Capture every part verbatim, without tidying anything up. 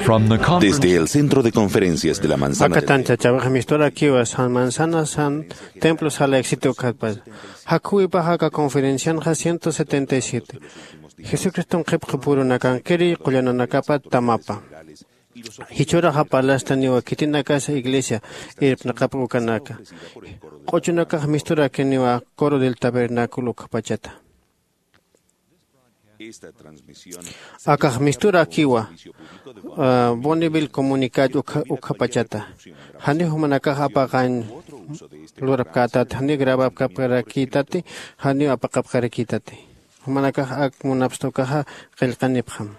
From the conference Desde el Centro de Conferencias de la Manzana Aka del Templo. Tantachawix misturakiwa San Manzana San Templo sala éxito ukhatpach. Jakhuwipax aka conferencianxa ciento setenta y siete. Jesucriston qhipqi purunakankiri qullananakapa tamapa. Jichhüraxa parlastaniwa khitinakasa iglesia irpnaqap ukanaka. Q'uchunakax misturakiniwa Coro del Tabernáculo ukhapachata. Akax misturakiwa, ah, Bonneville Communicat ukha-, ukhapachata. Janiw jumanakax apaqañ lurapkätati, janiw grabapkapkarakïtati, janiw apaqapkarakïtati. Jumanakax ak munapxta ukaxa qillqanipxam.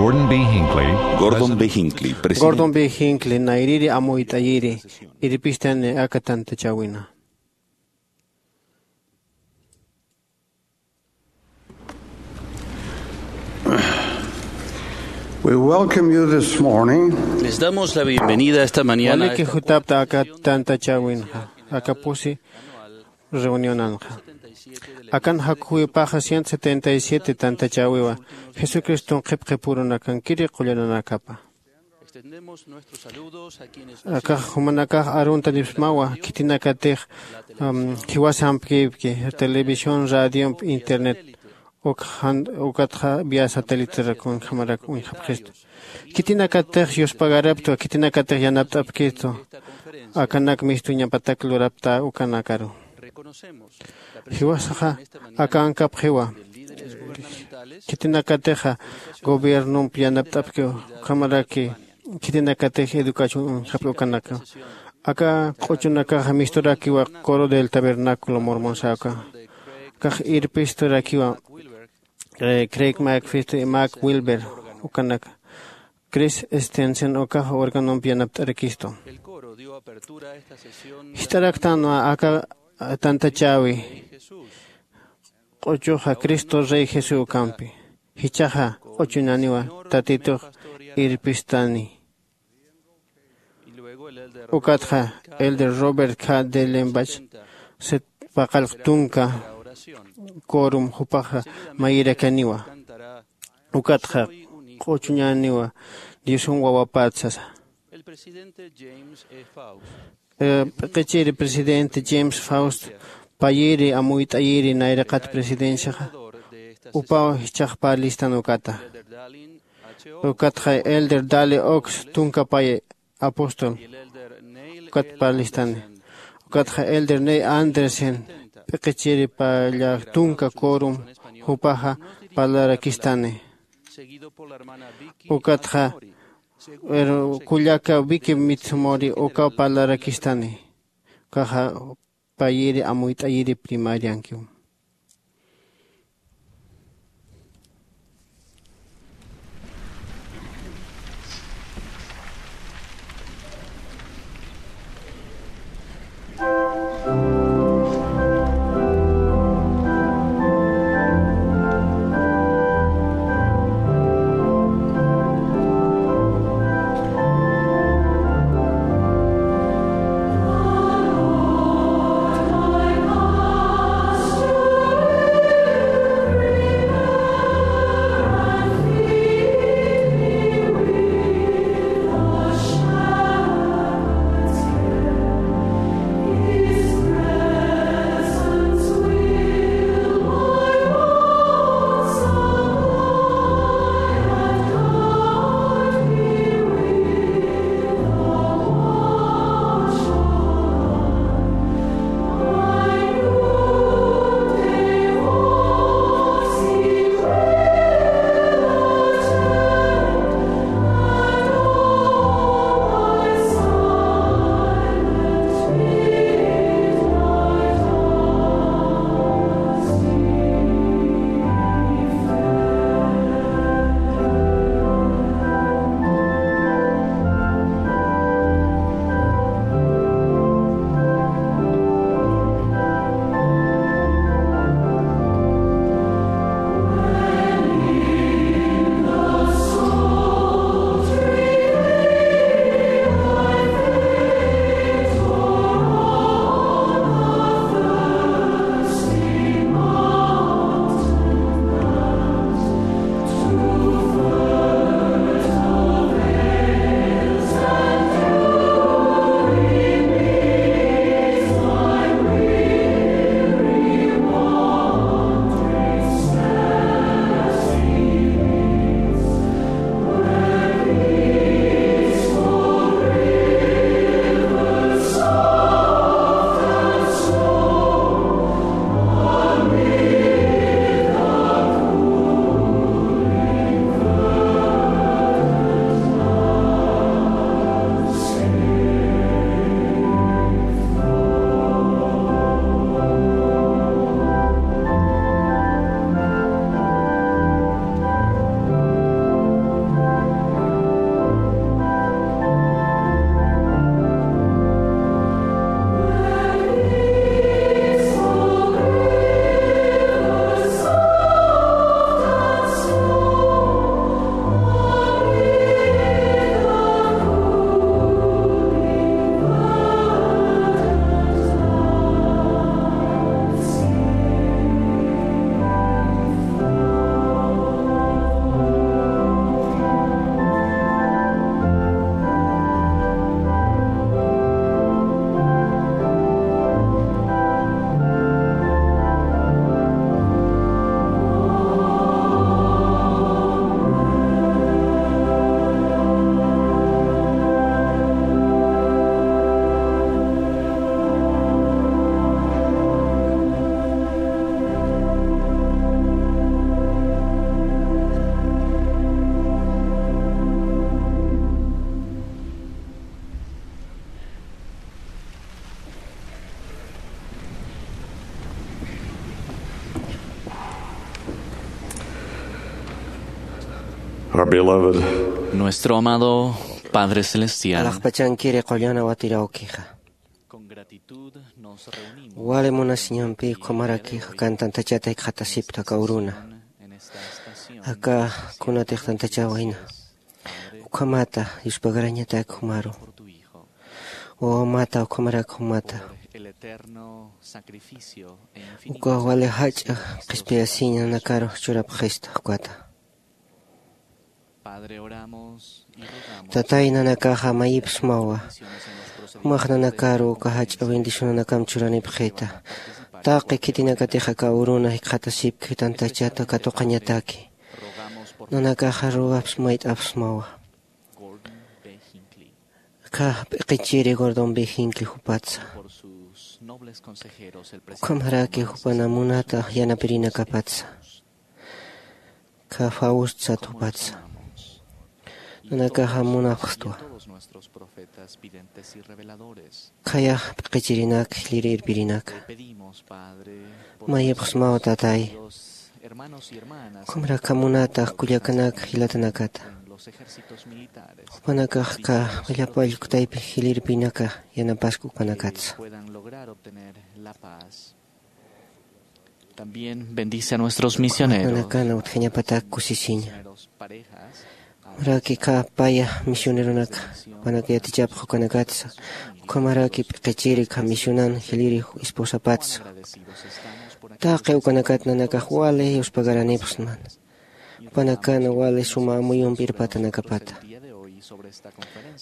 Gordon B. Hinckley, Gordon B. Hinckley, presidente. Gordon B. Hinckley, nayrïri amuyt'ayiri, irpistani aka tantachäwina. We welcome you this morning. Les damos la bienvenida esta mañana a Waliki esta jutapta aka tantachäwinxa, aka pusi reunionanxa. Akan jakhuwipaxa ciento setenta y siete tantachäwiwa, Jesucriston qhipqi purunakankiri qullananakapa. Akax jumanakax aruntanipxsmawa, khitinakatix, um, jiwasampkipki, televisión, radiomp, internet, ukxan-, ukatxa vía satéliterak uñjamarak uñjapxistu. Khitinakatix yuspagarapxtwa, khitinakatix yanapt'apkistu, akanak mistuñapatak lurapxta ukanakaru. Jiwasaxa aka ankapxiwa. Khitinakatixa gobiernomp yanapt'apkiw, ukhamaraki khitinakatix educación uñjapki ukanaka. Aka q'uchunakaxa misturakiwa Coro del Tabernáculo Mormon sawka. Akax irpisturakiwa, eh, Craig McFisto y Mark Wilber ukanaka. Chris Stenson ukax órganomp yanapt'arakistu. Jist'araktanwa aka tantachäwi. Q'uchuxa Cristo Rey Jesús ukampi. Jichhaxa q'uchuñaniwa Tatitux irpistani. Ukatxa Elder Robert K. Dellenbach, set paqallq tunka quórum jupaxa mayirakaniwa. Ukatxa q'uchuñaniwa Diosun wawapät sasa. Eh, p'iqichiri presidente James Faust, payiri amuyt'ayiri nayraqat presidenciaxa, upaw jichhax parlistan ukata. Ukatxa Elder Dale Oaks, tunka pay apóstol, ukat parlistani. Ukatxa Elder Neil Andersen, p'iqichiri palla tunka quórum, jupaxa parlarakistani. Ukatxa, pero kullaka Vicky Mitsumori ukaw parlarakistani. Ukaxa payiri amuyt'ayiri primariankiw. Our beloved Nuestro amado Padre Celestial, alaxpachankiri qullana watirawkixa, con gratitud nos reunimos wali munasiñampi ukhamarakixa kan tantachata jikxatasipta aka uruna. En esta estación, aka kunatix tantachawayna. Ukhamata yuspagarañatak jumaru. Por tu Hijo. Wawamata, ukhamarak jumata. Por el eterno sacrificio e infinito uka wali jach'a qhispiyasiña nakaru churapxista ukata. Padre, oramos y rogamos. Tatay, nanakaxa mayipxsmawa. Jumax nanakaru uka jach'a bendicionanakam churanipxita. Taqi khitinakatix aka uruna jikxatasipki tantachata katuqañataki. Nanakaxa rogapxsma, mayt'apxsmawa. Gordon B. Hinckley. Aka p'iqichiri Gordon B. Hinckley jupatsa. Por sus nobles consejeros, el presidente ukhamaraki Thomas jupana S. munata yanapirinakapatsa. Aka Faust sat jupatsa. Nanakaxa munapxtwa. Todos nuestros profetas, videntes y reveladores. Khaya p'iqichirinak, jiliri irpirinaka. Pedimos, Padre, por mayipxsmaw, Tatay. Los hermanos y hermanas ukhamrak aka munata kullakanak jilatanakata. En los ejércitos militares. Jupanakax aka willapallkutaypi jilirpinaka yanapasku ukanakatsa. Que puedan lograr obtener la paz. También bendice a nuestros misioneros. Nanakana utjañapatak kusisiña. Misioneros parejas. Ukhamaraki aka paya misioneronaka, jupanaka yatichapxi ukanakatsa. Ukhamaraki p'iqichiri aka misionan jiliri esposapatsa. Taqi ukanakat nanakax wali yuspagaranipxsman. Jupanakana wali suma amuyumpi irpatanakapata.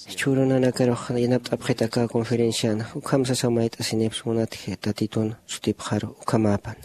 Jichhüru nanakarux yanapt'apxit aka conferenciana, ukham sasaw mayt'asinipxsma munatji Tatitun sutipxaru ukhamäpan.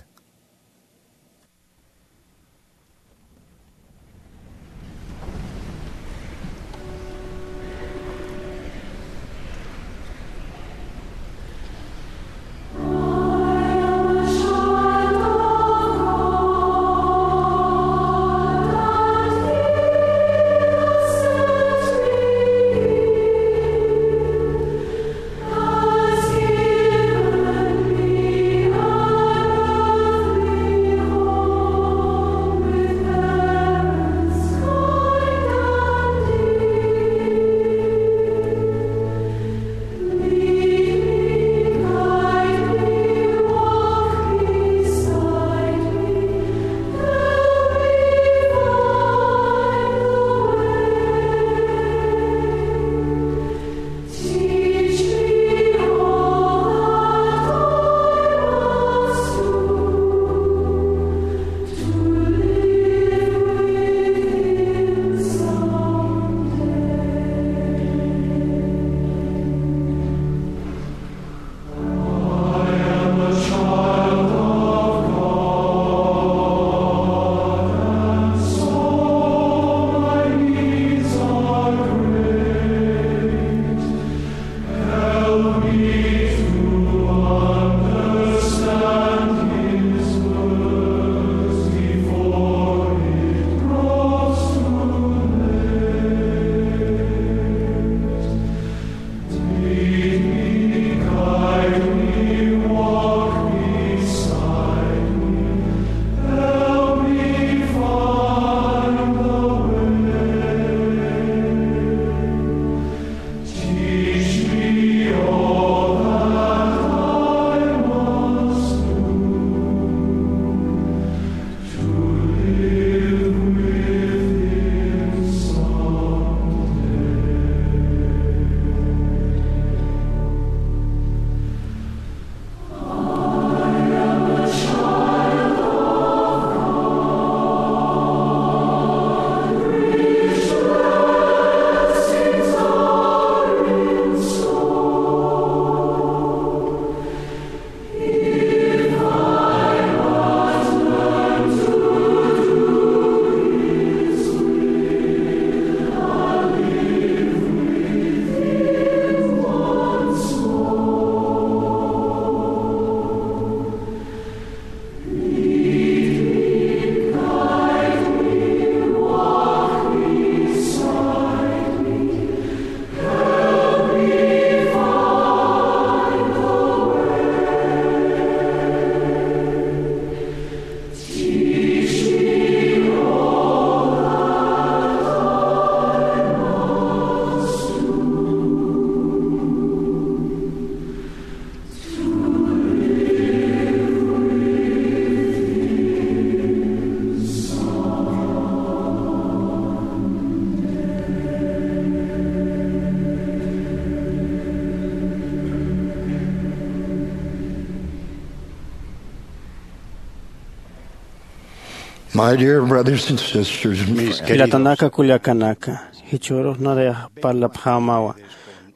My dear brothers and sisters, mis queridos, jilatanaka kullakanaka, jichhürux nayax parlapxämawa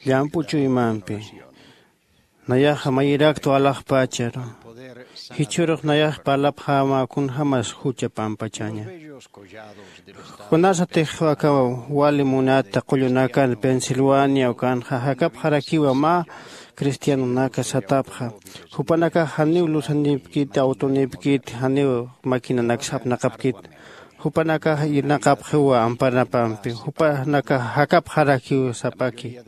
llamp'u chuymampi. Nayaxa mayiraktwa alaxpacharu. Jichhürux nayax parlapxämawa kunjämas jucha pampachaña. Kunasatix aka wali munata qullunakan Pensilvania ukanxa jakapxarakiwa mä cristianonaka satapxa. Jupanakax janiw lusanipkiti, autonipkiti, janiw maquinanaksa apnaqapkiti. Jupanakax irnaqapxiwa amparapampi. Jupanakax jakapxarakiw sapaki.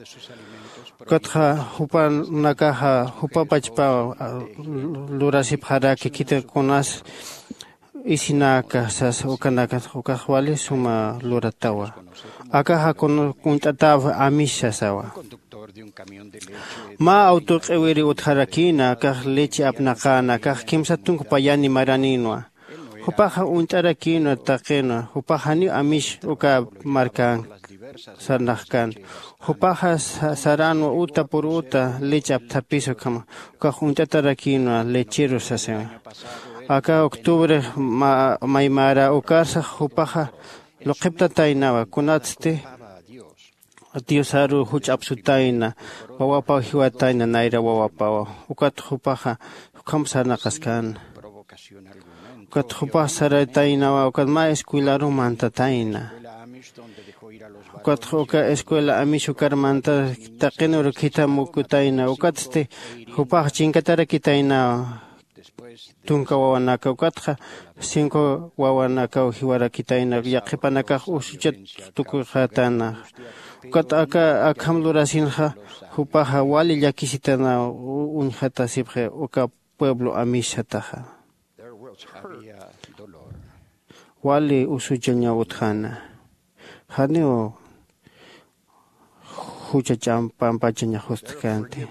Ukatxa jupanakaxa jupapachpa, a, lurasipxaraki khitinakax kunas isinaka sas ukanakax, ukax wali suma luratawa. Akaxa kun-, uñt'ataw Amish sasawa. Mä auto q'iwiri utjarakïna, akax leche apnaqäna, akax kimsa tunka payani maraninwa. Jupaxa uñt'arakïnwa taqinwa, jupax janiw Amish uka markan sarnaqkän. Jupaxa sa-, saranwa uta pur uta leche apthapis ukhama, ukax uñt'atarakïnwa lechero sasinwa. Aka octubre ma-, maymara ukarsax jupaxa luqhiptataynawa, kunatsti Diosaru juch apsutayna, wawapaw jiwatayna, nayra wawapawa. Ukat jupaxa ukham sarnaqaskäna. Ukat jupax saraytaynawa, ukat mä escuelaru mantatayna. Ukat uka escuela Amish ukar manta taqinürux khithamukutayna. Ukatsti jupax chinkatarakitaynawa. Tunka wawanaka, ukatxa cinco wawanakaw jiwarakitayna, yaqhipanakax usuchat tukuyxatana. Ukat aka akham lurasinxa, jupaxa wali llakisitana u-, uñjatasipxi uka pueblo Amish sataxa. Wali usuchañaw utjäna. Janiw jucha ch'am-, pampachaña justjkänti.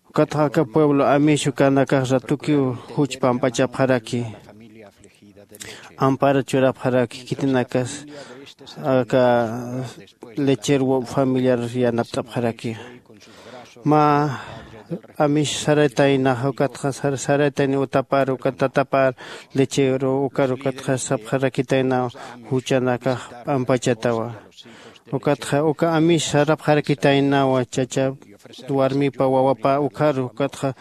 Ukatxa aka pueblo Amish ukanakax ratukiw juch pampachapxaraki. Ampara churapxaraki, khitinakas aka lechero familiar yanapt'apxaraki. Mä Amish saraytaynaxa, ukatxa sar-, saraytayni utapar, ukat tatapar lechero, ukar ukatxa sapxarakitaynaw juchanakax pampachatawa. Ukatxa uka Amish sarapxarakitaynawa, chacha warmipa wawapa ukharu, ukatxa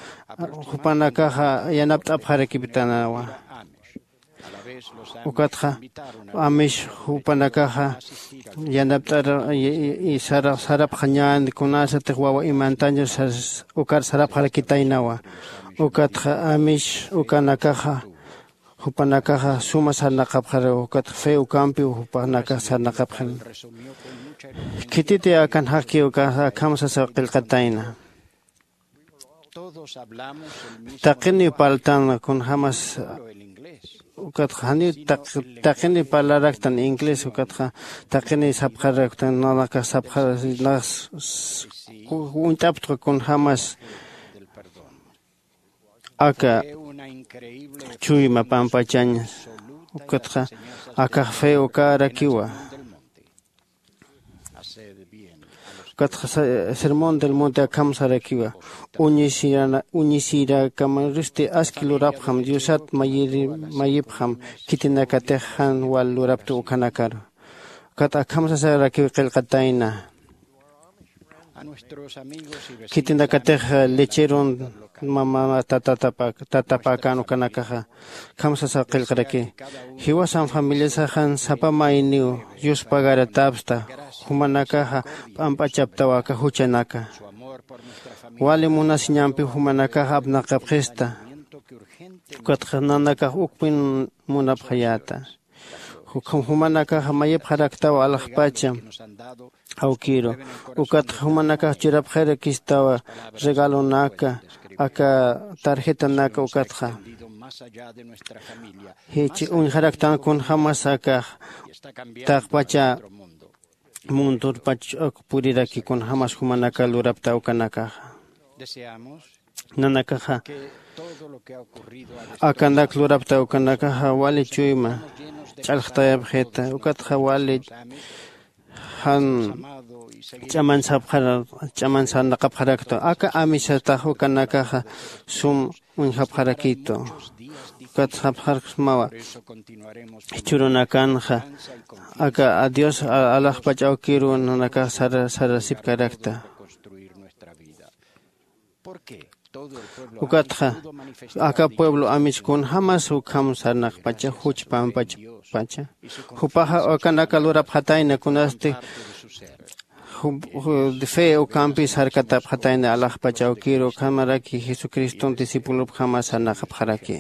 jupanakaxa yanapt'apxarakiptanawa. Ukatxa Amish jupanakaxa yanapt'ar, y, y, y sara-, sarapxañän, kunasatix wawa imantaña sas-, ukar sarapxarakitaynawa. Ukatxa Amish ukanakaxa, jupanakaxa suma sarnaqapxaru, ukatxa fe ukampiw jupanakax sarnaqapxaru. Khititï akan jaqkiw uka akham sasa qillqatayna. Taqiniw parltan kunjämas, ukatxa janiw taq-, taqiniw parlaraktan inglés, ukatxa taqiniw sapxaraktan, nanakax sapxar-, nas-, s-, s-, ku-, uñt'aptxa kunjämas aka chuyma pampachañ, ukatxa akax fe ukarakiwa. Ukatxa sa-, Sermón del Monte akham sarakiwa. Uñisirana-, uñisirakamaristi aski lurapxam, Diosat mayiri-, mayipxam, khitinakatix jan wal lurapta ukanakaru. Ukat akham sasarakiw qillqatayna. Khitinakatix lecheron mama tatatapa-, tatapakan ukanakaxa. Akham sasa qillqaraki. Jiwasan familiasaxan sapa mayniw yuspagaratapsta, jumanakaxa p'amp'achaptawa aka juchanaka. Wali munasiñampiw jumanakaxa apnaqapxista. Ukatxa nanakax ukpin munapxayäta. Ju-, jumanakaxa mayipxaraktawa alaxpacha awkiru. Ukatxa jumanakax churapxarakistawa regalonaka, aka tarjetanaka ukatxa. Jichha uñjaraktan kunjämas akax taqpacha mundurpach ak puriraki kunjämas jumanaka lurapta ukanakaxa. Nanakaxa akanak lurapta ukanakaxa wali chuyma ch'alxtayapxita, ukatxa wali jan ch'aman sapxara ch'aman sarnaqapxarakta. Aka amisatax ukanakaxa sum uñjapxarakitu. Ukat sapxarksmawa jichhurunakanxa aka a dios alaxpach awkiru nanakax sara sarasipkarakta. Ukatxa aka pueblo amis kunjämas ukham sarnaqpacha juch pampachpacha jupaxa ukanaka lurapxatayna kunasti fe ukampi sarkatapxatayna alaxpach awkiru ukhamaraki jesucriston discipulopjama sarnaqapxaraki.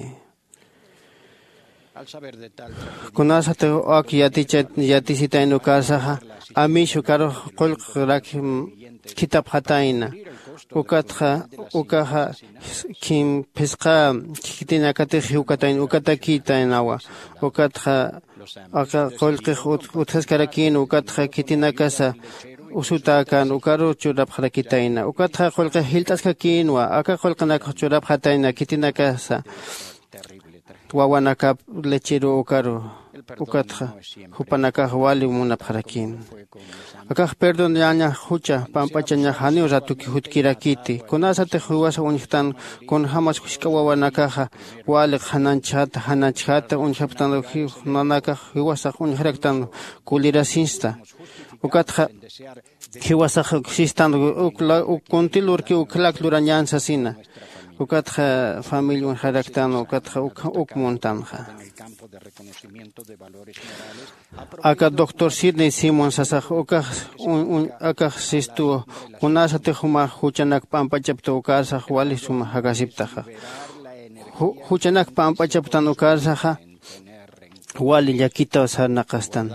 Kunasatix ak yatisitayna ukarsaxa amish ukarux qullqrak khithapxatayna. Ukatxa ukaxa khim phisqa khitinakatix jiwkatayna ukatakïtaynawa. Ukatxa aka qullqix utjaskarakïn ukatxa khitinakasa usutäkän ukaru churapxarakitayna. Ukatxa qullqix jilt'askakïnwa aka qullqinakax churapxatayna khitinakasa wawanakap lecheru ukaru. Ukatxa jupanakax wali munapxarakïn. Akax perdonyañax jucha pamp'achañax janiw ratuki jutkirakiti kunasatix jiwasa uñjtan kunjämas jisk'a wawanakaxa wali qhananchjata jananchjata uñjapxtan nanakax jiwasax uñjaraktan kulirasinsta. Ukatxa jiwasax sistan uk kunti lurki ukhlak lurañän sasina. Ukatxa familia uñjaraktan ukatxa uk muntanxa. Aka doctor sidney simon sasax ukax akax sistuw kunasatix jumax juchanak p'amp'achapta ukarsax wali suma jakasiptaxa. Juchanak p'amp'achaptan ukarsaxa wali llakitaw sarnaqastan.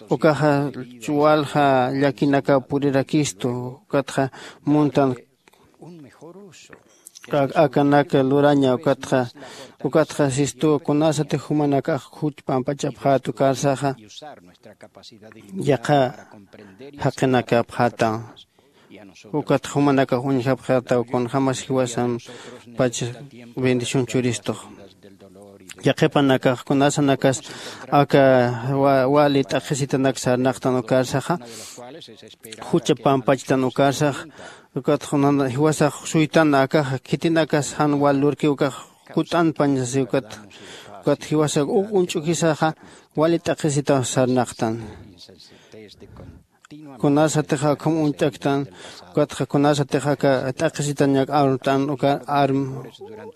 Ukaxa walja llakinakaw purirakistu ukatxa muntan akanak luraña ukatxa ukatxa sistuw kunasatix jumanakax juch pampachapxät ukarsaxa yaqha jaqinakapxätaw. Ukatxa jumanakax uñjapxätaw kunjämas jiwasampach bendición churistux. Yaqhipanakax kunasanakas aka wali t'aqhisitanak sarnaqtan ukarsaxa jucha pampachtan ukarsax. Ukatxa jiwasax suytan akaxa khitinakas jan wal lurki ukax kut'anpañ sasi ukat ukat jiwasax uk uñch'ukisaxa wali t'aqhisitaw sarnaqtan. Kunasatix akham uñt'aktan ukatxa kunasatix aka t'aqhisitañak armt'an uka arm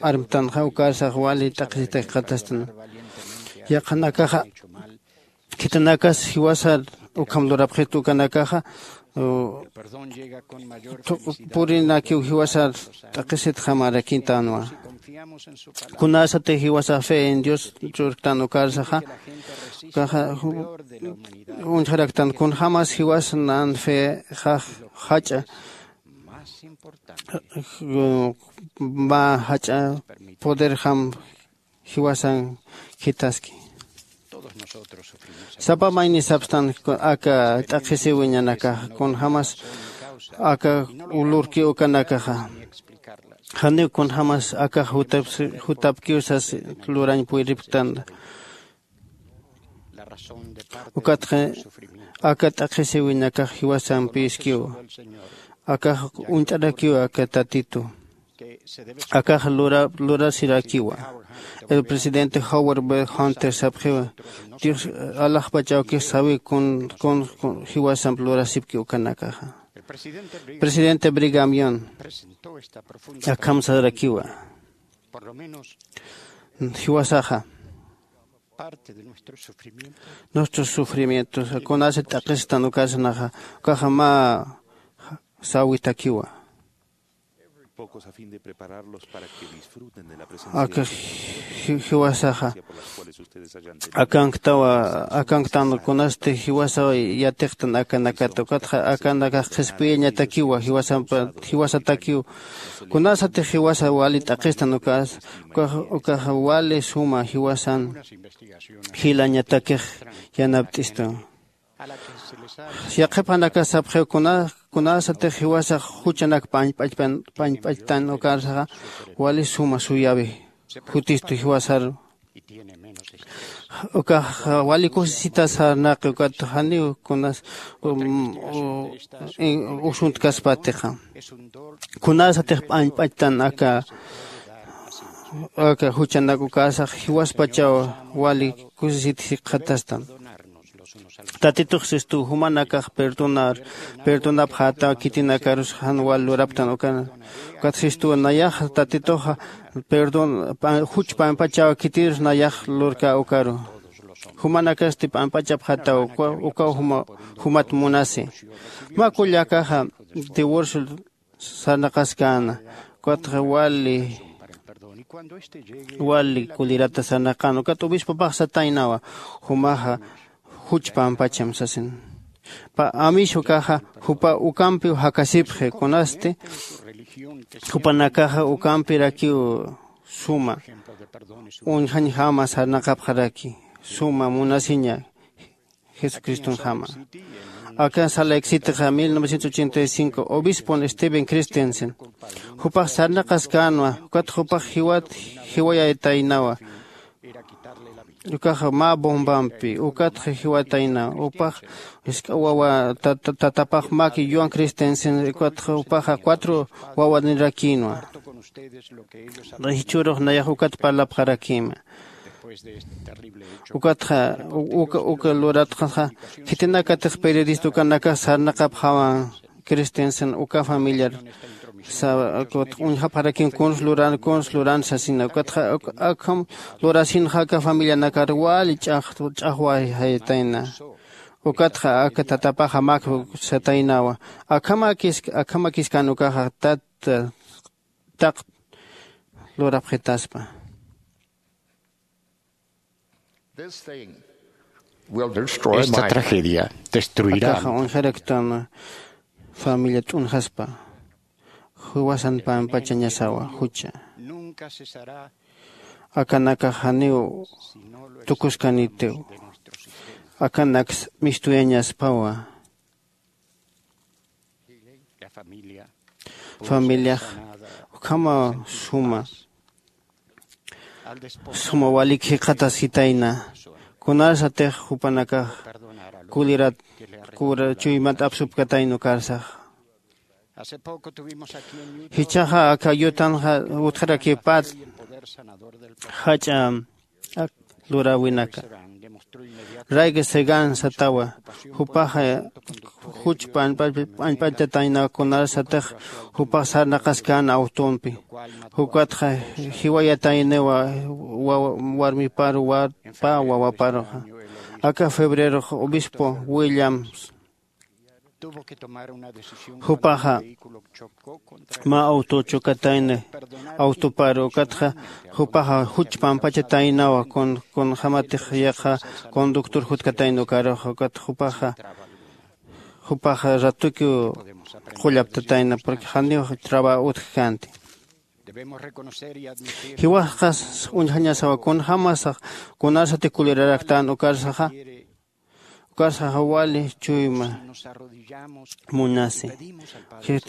armtanxa ukarsax wali t'aqhisitakiqatastan. Yaqhanakaxa khitinakas jiwasar ukham lurapxit ukanakaxa purinakiw jiwasar t'aqhisitxamarakïtanwa. Kunasatix jiwasa fe en dios churktan ukarsaxa ukaxa uñjaraktan kunjämas jiwas nan fe jax jach'a mä jach'a poderjam jiwasan khithaski. Sapa mayni sapstan aka t'aqhisiwiñanakaxa kunjämas aka lurki ukanakaxa janiw kunjämas akax jutapkiw sas lurañ puyripktan. Ukatxa aka t'aqhisiwiñakax jiwasampiskiw akax uñt'arakiw aka tatitu akax lurasirakiwa. El presidente howard b hunter sapxiwa dios alaxpach awkix sawi kun kun jiwasamp lurasipki ukanakaxa. Presidente brigamion akham sarakiwa jiwasaxa nuestros sufrimientos kunasi t'aqhistan ukasnaxa ukaxa mä sawitakiwa. Aka jiwasaxa akanktawa akanktan kunasti jiwasa yatiqtan akanakata ukatxa akanakax qhispiyañatakiwa jiwasatakiw kunasatix jiwasa wali t'aqhistan ukas ukaxa wali suma jiwasan jilañatakix yanapt'istu. Yaqhipanakas sapxiw kunasatix jiwasax juchanak pañp'achtan ukarsaxa wali suma suyawi jutistu jiwasaru. Ukax wali kusisita sarnaqi ukat janiw kunas usuntkaspätixa. Kunasatix p'añp'achtan aka aka juchanak ukasax jiwaspachaw wali kusisit jikxatastan. Tatitux sistu jumanakax perdonar perdonapxätaw khitinakarus jan wal luraptan ukan. Ukat sistu nayax tatituxa perdon juch p'añpachaw khitirus nayax lurkä ukaru. Jumanakasti p'añpachapxätaw ukaw jumat munasi. Mä kullakaxa divorcio sarnaqaskäna. Ukatxa wali wali kulirata sarnaqän ukat obispopax sataynawa. Jumaxa juch pampacham sasin. Amish ukaxa jupa ukampiw jakasipxi kunasti jupanakaxa ukampirakiw suma uñjañjama sarnaqapxaraki suma munasiña jesucristonjama. Aka sala exitixa mil novecientos ochenta y cinco obispon steven christensen jupax sarnaqaskänwa. Ukat jupax jiwat jiwayaytaynawa. Ukax mä bombampi ukatxa jiwatayna upax isk'a wawa tatapax maki yuan christensen ukatxa upaxa cuatro wawanirakïnwa. Jichhürux nayax ukat parlapxarakïma. Ukatxa uka uka luratxaxa khitinakatix periodista ukanakax sarnaqapxawan. Christensen uka familiar uñjapxarakin kuns luran kuns luran sasina ukatxa akham lurasinxa aka familianakar wali ch'axwayjayatayna. Ukatxa aka tatapaxa mak sataynawa akhamakis akhamakiskan ukaxa tat taq lurapxitaspa. Esta tragedia destruirá. Akaxa uñjaraktan familia t'unjaspa. Jiwasan pampachañasawa jucha. Akanakax janiw tukuskanitiw. Akanaks mistuyañaspawa. Familiax ukhama suma suma walik jikxatasitayna. Kunarsatix jupanakax kulirat kura chuymat apsupkatayna ukarsax. Jichhaxa aka yutanxa utjarakipät jach'a luräwinaka. Rayga segan satawa jupaxa juch p'añp'atataynawa kunarsatix jupax sarnaqaskän awtompi. Jukatxa jiwayatayniwa warmiparu pä wawaparuxa. Aka febrerox obispo williams jupaxa mä awto chukatayni awtoparu ukatxa jupaxa juch pampachataynawa kunjämatix yaqha conductor jutkatayni ukaruxa ukat jupaxa jupaxa ratukiw qullaptatayna porque janiw traba utjkänti. Jiwasqas uñjañasawa kunjämasax kunarsati kuliraraktan ukarsaxa ukarsaxa wali chuyma munasi.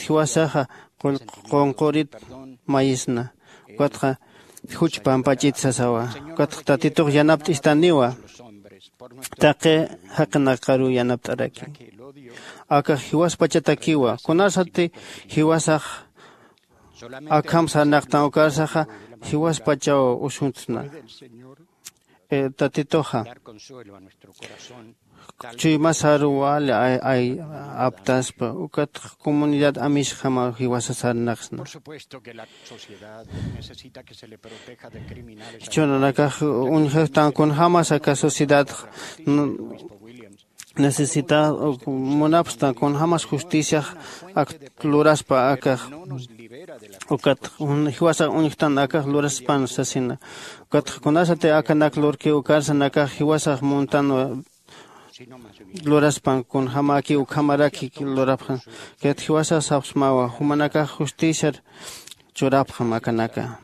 Jiwasaxa qunqurit mayisna ukatxa juch pampach'it sasawa. Ukatxa tatitux yanapt'istaniwa taqi jaqinakaruw yanapt'araki. Akax jiwaspachatakiwa kunarsati jiwasax akham sarnaqtan ukarsaxa jiwaspachaw usuntna. Tatituxa chuymasaruw wali aptaspa ukatxa comunidad amisjamaw jiwasa sarnaqsna. Jichhürunakax uñjastan kunjämas aka sociedad necesita munapxtan kunjämas justiciax ak luraspa akax. Ukat jiwasax uñjtan akax luraspan sasina. Ukatxa kunasati akanak lurkiw ukarsanakax jiwasax muntanwa luraspan kunjämäkiw ukhamaraki lurapxan. Kat jiwasax sapxsmawa jumanakax justiciar churapxam akanaka.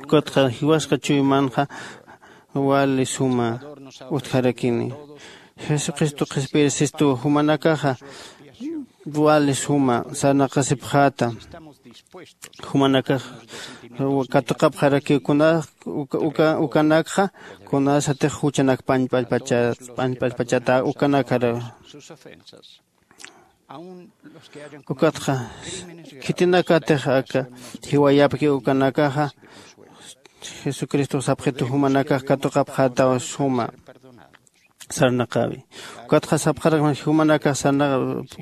Ukatxa jiwasqa chuymanxa wali suma utjarakini. Jesucristo qhispiyir sistuw jumanakaxa wali suma sarnaqasipxäta. Jumanakax katuqapxarakiw kuna Uka uka ukanakxa kunasatix juchanak pañp'allpacha pañp'allpachata ukanakar. Ukatxa khitinakatix aka jiwayapki ukanakaxa jesucristo sapxitu jumanakax katuqapxätaw suma sarnaqäwi. Ukatxa sapxarak jumanakax sarna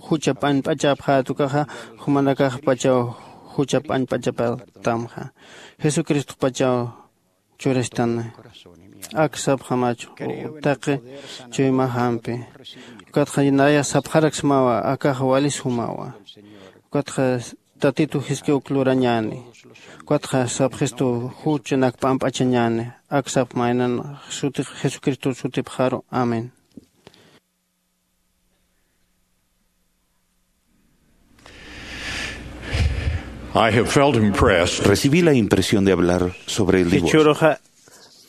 jucha p'añp'achapxät ukaxa jumanakaxpachaw jucha p'añp'achapatamxa jesucristopachaw churastan. Ak sapxamach taqi chuymaxampi. Ukatxa nayax sapxaraksmawa akax wali sumawa. Ukatxa tatitu jiski uk lurañäni. Ukatxa sapxistu juchanak p'amp'achañäni. Ak sapxmaynan sutix jesucristo sutipxaru. Amén. I have felt impressed. Recibí la impresión de hablar sobre el divorcio. Jichhüruxa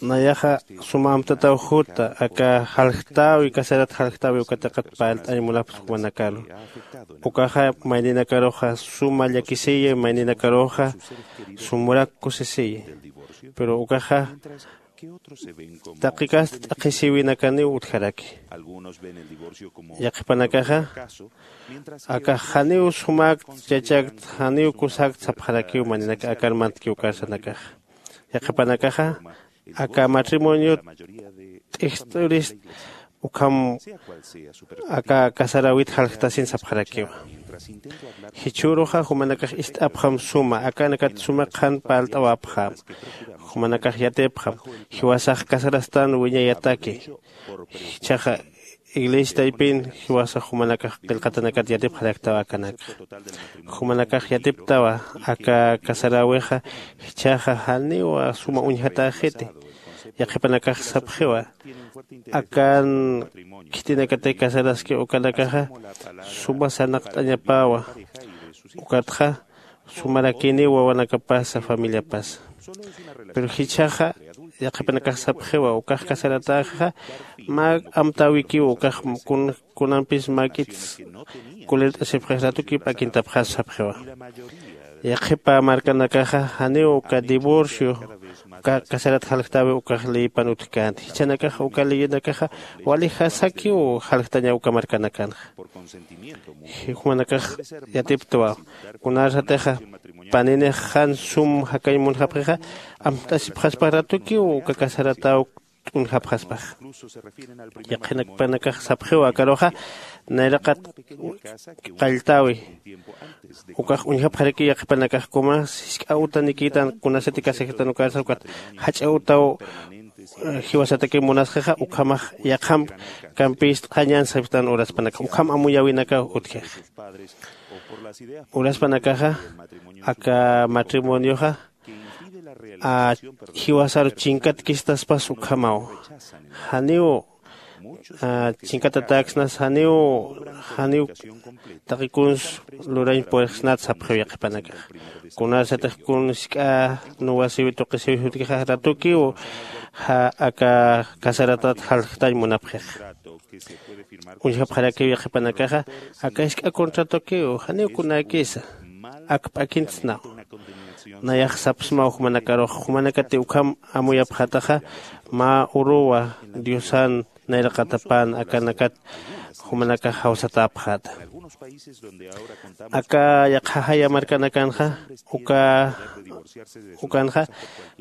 nayaxa suma amtataw juta aka jaljtäwi casarat jaljtäwi ukataqat parlt'añ munapxta jumanakaru. Ukaxa mayninakaruxa suma llakisiyi, mayninakaruxa sumurak kusisiyi. Pero ukaxa taqi kasta t'aqhisïwinakaniw utjaraki. Yaqhipanakaxa aka janiw sumäkt chachakt janiw kusakt sapxarakiw mayninaka akar mantkiw karsanakaxa. Yaqhipanakaxa aka matrimonio t'ijst'urist ukham aka casaräwit jaljtasin sapxarakiwa. Jichhüruxa jumanakax ist'apxam suma akanakat suma qhan parlt'awapxäm. Jumanakax yatipxam jiwasax casarastan wiñayataki. Jichhaxa iglesia taypin jiwasax jumanakax qillqatanakat yatipxaraktawa akanakxa. Jumanakax yatiptawa aka casaräwixa jichhaxa janiw suma uñjatäxiti. Yaqhipanakax sapxiwa akan khitinakatix casaraski ukanakaxa suma sarnaqt'añapäwa. Ukatxa sumarakiniw wawanakapasa familiapasa. Pero jichhaxa yaqhipanakax sapxiwa ukax casaratäxixa mä amtäwikiw ukax kunampis mäk'it kulirt'asipxix ratukiw p'akintapxas sapxiwa. Yaqhipa markanakaxa janiw uka divorcio uka casarat jaljtäwi ukax leyipan utjkänti. Jichhanakaxa uka leyinakaxa wali jasakiw jaljtaña uka markanakanxa. Jumanakax yatiptwa kunarsatixa paninix jan sum jakañ munxapxixa amt'asipxaspax ratukiw uka casaratäw t'unjapxaspax. Yaqhinakanakax sapxiw akaruxa nayraqat qalltäwi ukax uñjapxarakiw yaqhipanakax kumas jisk'a utanikïtan kunasati casajirtan ukarsa ukat jach'a utaw jiwasatakiw munasxixa ukhamax yaqhamp kampist'xañan saptan uraspanakax ukham amuyäwinakaw utjix. Uraspanakaxa aka matrimonioxa jiwasaru chinkatkistaspas ukhamaw. Janiw chinkatatäksnas janiw janiw taqi kuns lurañ puerxsnat sapxiw yaqhipanakax. Kunarsatix kun jisk'a nuwasiwi tuqisiwi jutkixa ratukiw aka casaratat jaljtañ munapxix. Uñjapxarakiw yaqhipanakaxa aka jisk'a contratokiw janiw kunäkisa ak p'akintsnaw. Nayax sapsmaw jumanakarux jumanakati ukham amuyapxätaxa mä uruwa diosan nayraqatapan akanakat jumanakax jawsatäpxäta. Aka yaqha jaya markanakanxa uka ukanxa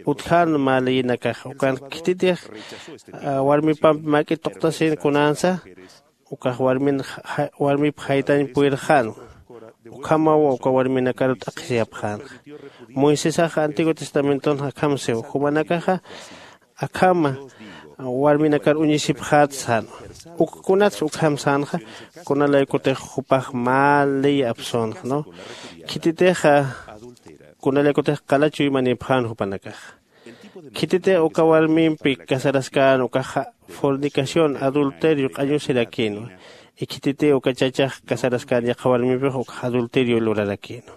utjän mä leyinakax ukan khititix warmipampi mäk'it tuqtasin kunänsa ukax warmin warmip jaytañ puyrxän. Ukhamaw uka warminakaru t'aqhisiyapxänxa. Moisesax antiguo testamentonxa akham siw jumanakaxa akhama warminakar uñisipxät sänwa. Uk kunatsa ukham sänxa kunalaykutix jupax mä ley apsünxa no. Khititixa kunalaykutix qala chuymanipxän jupanakaxa. Khititix uka warmimpi casaraskän ukaxa fornicación adulterio q'añusirakïnwa. Ikhititi uka chachax casaraskän yaqha warmipix ukax adulterio lurarakïnwa.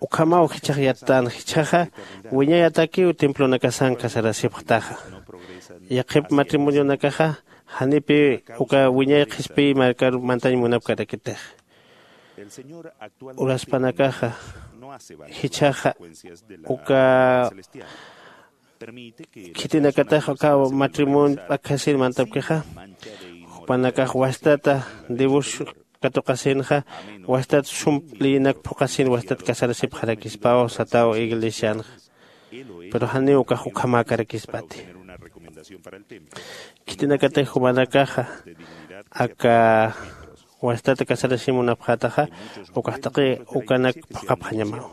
Ukhamaw jichhax yattan jichhaxa wiñayatakiw templonakasan casarasipxtaxa. Yaqhip matrimonionakaxa janipi uka wiñay qhispiy markar mantañ munapkarakitix. Uraspanakaxa jichhaxa uka Khitinakatax uka matrimonio p'akhasin mantapkixa, jupanakax wastata divorcio katuqasinxa, wastat sum leyinak phuqasin wastat casarasipxarakispaw sataw iglesianxa. Pero janiw ukax ukhamäkarakispati. Khitinakatix jumanakaxa aka wastata casarasimunapxätaxa, ukax taqi ukanak phuqhapxañamaw.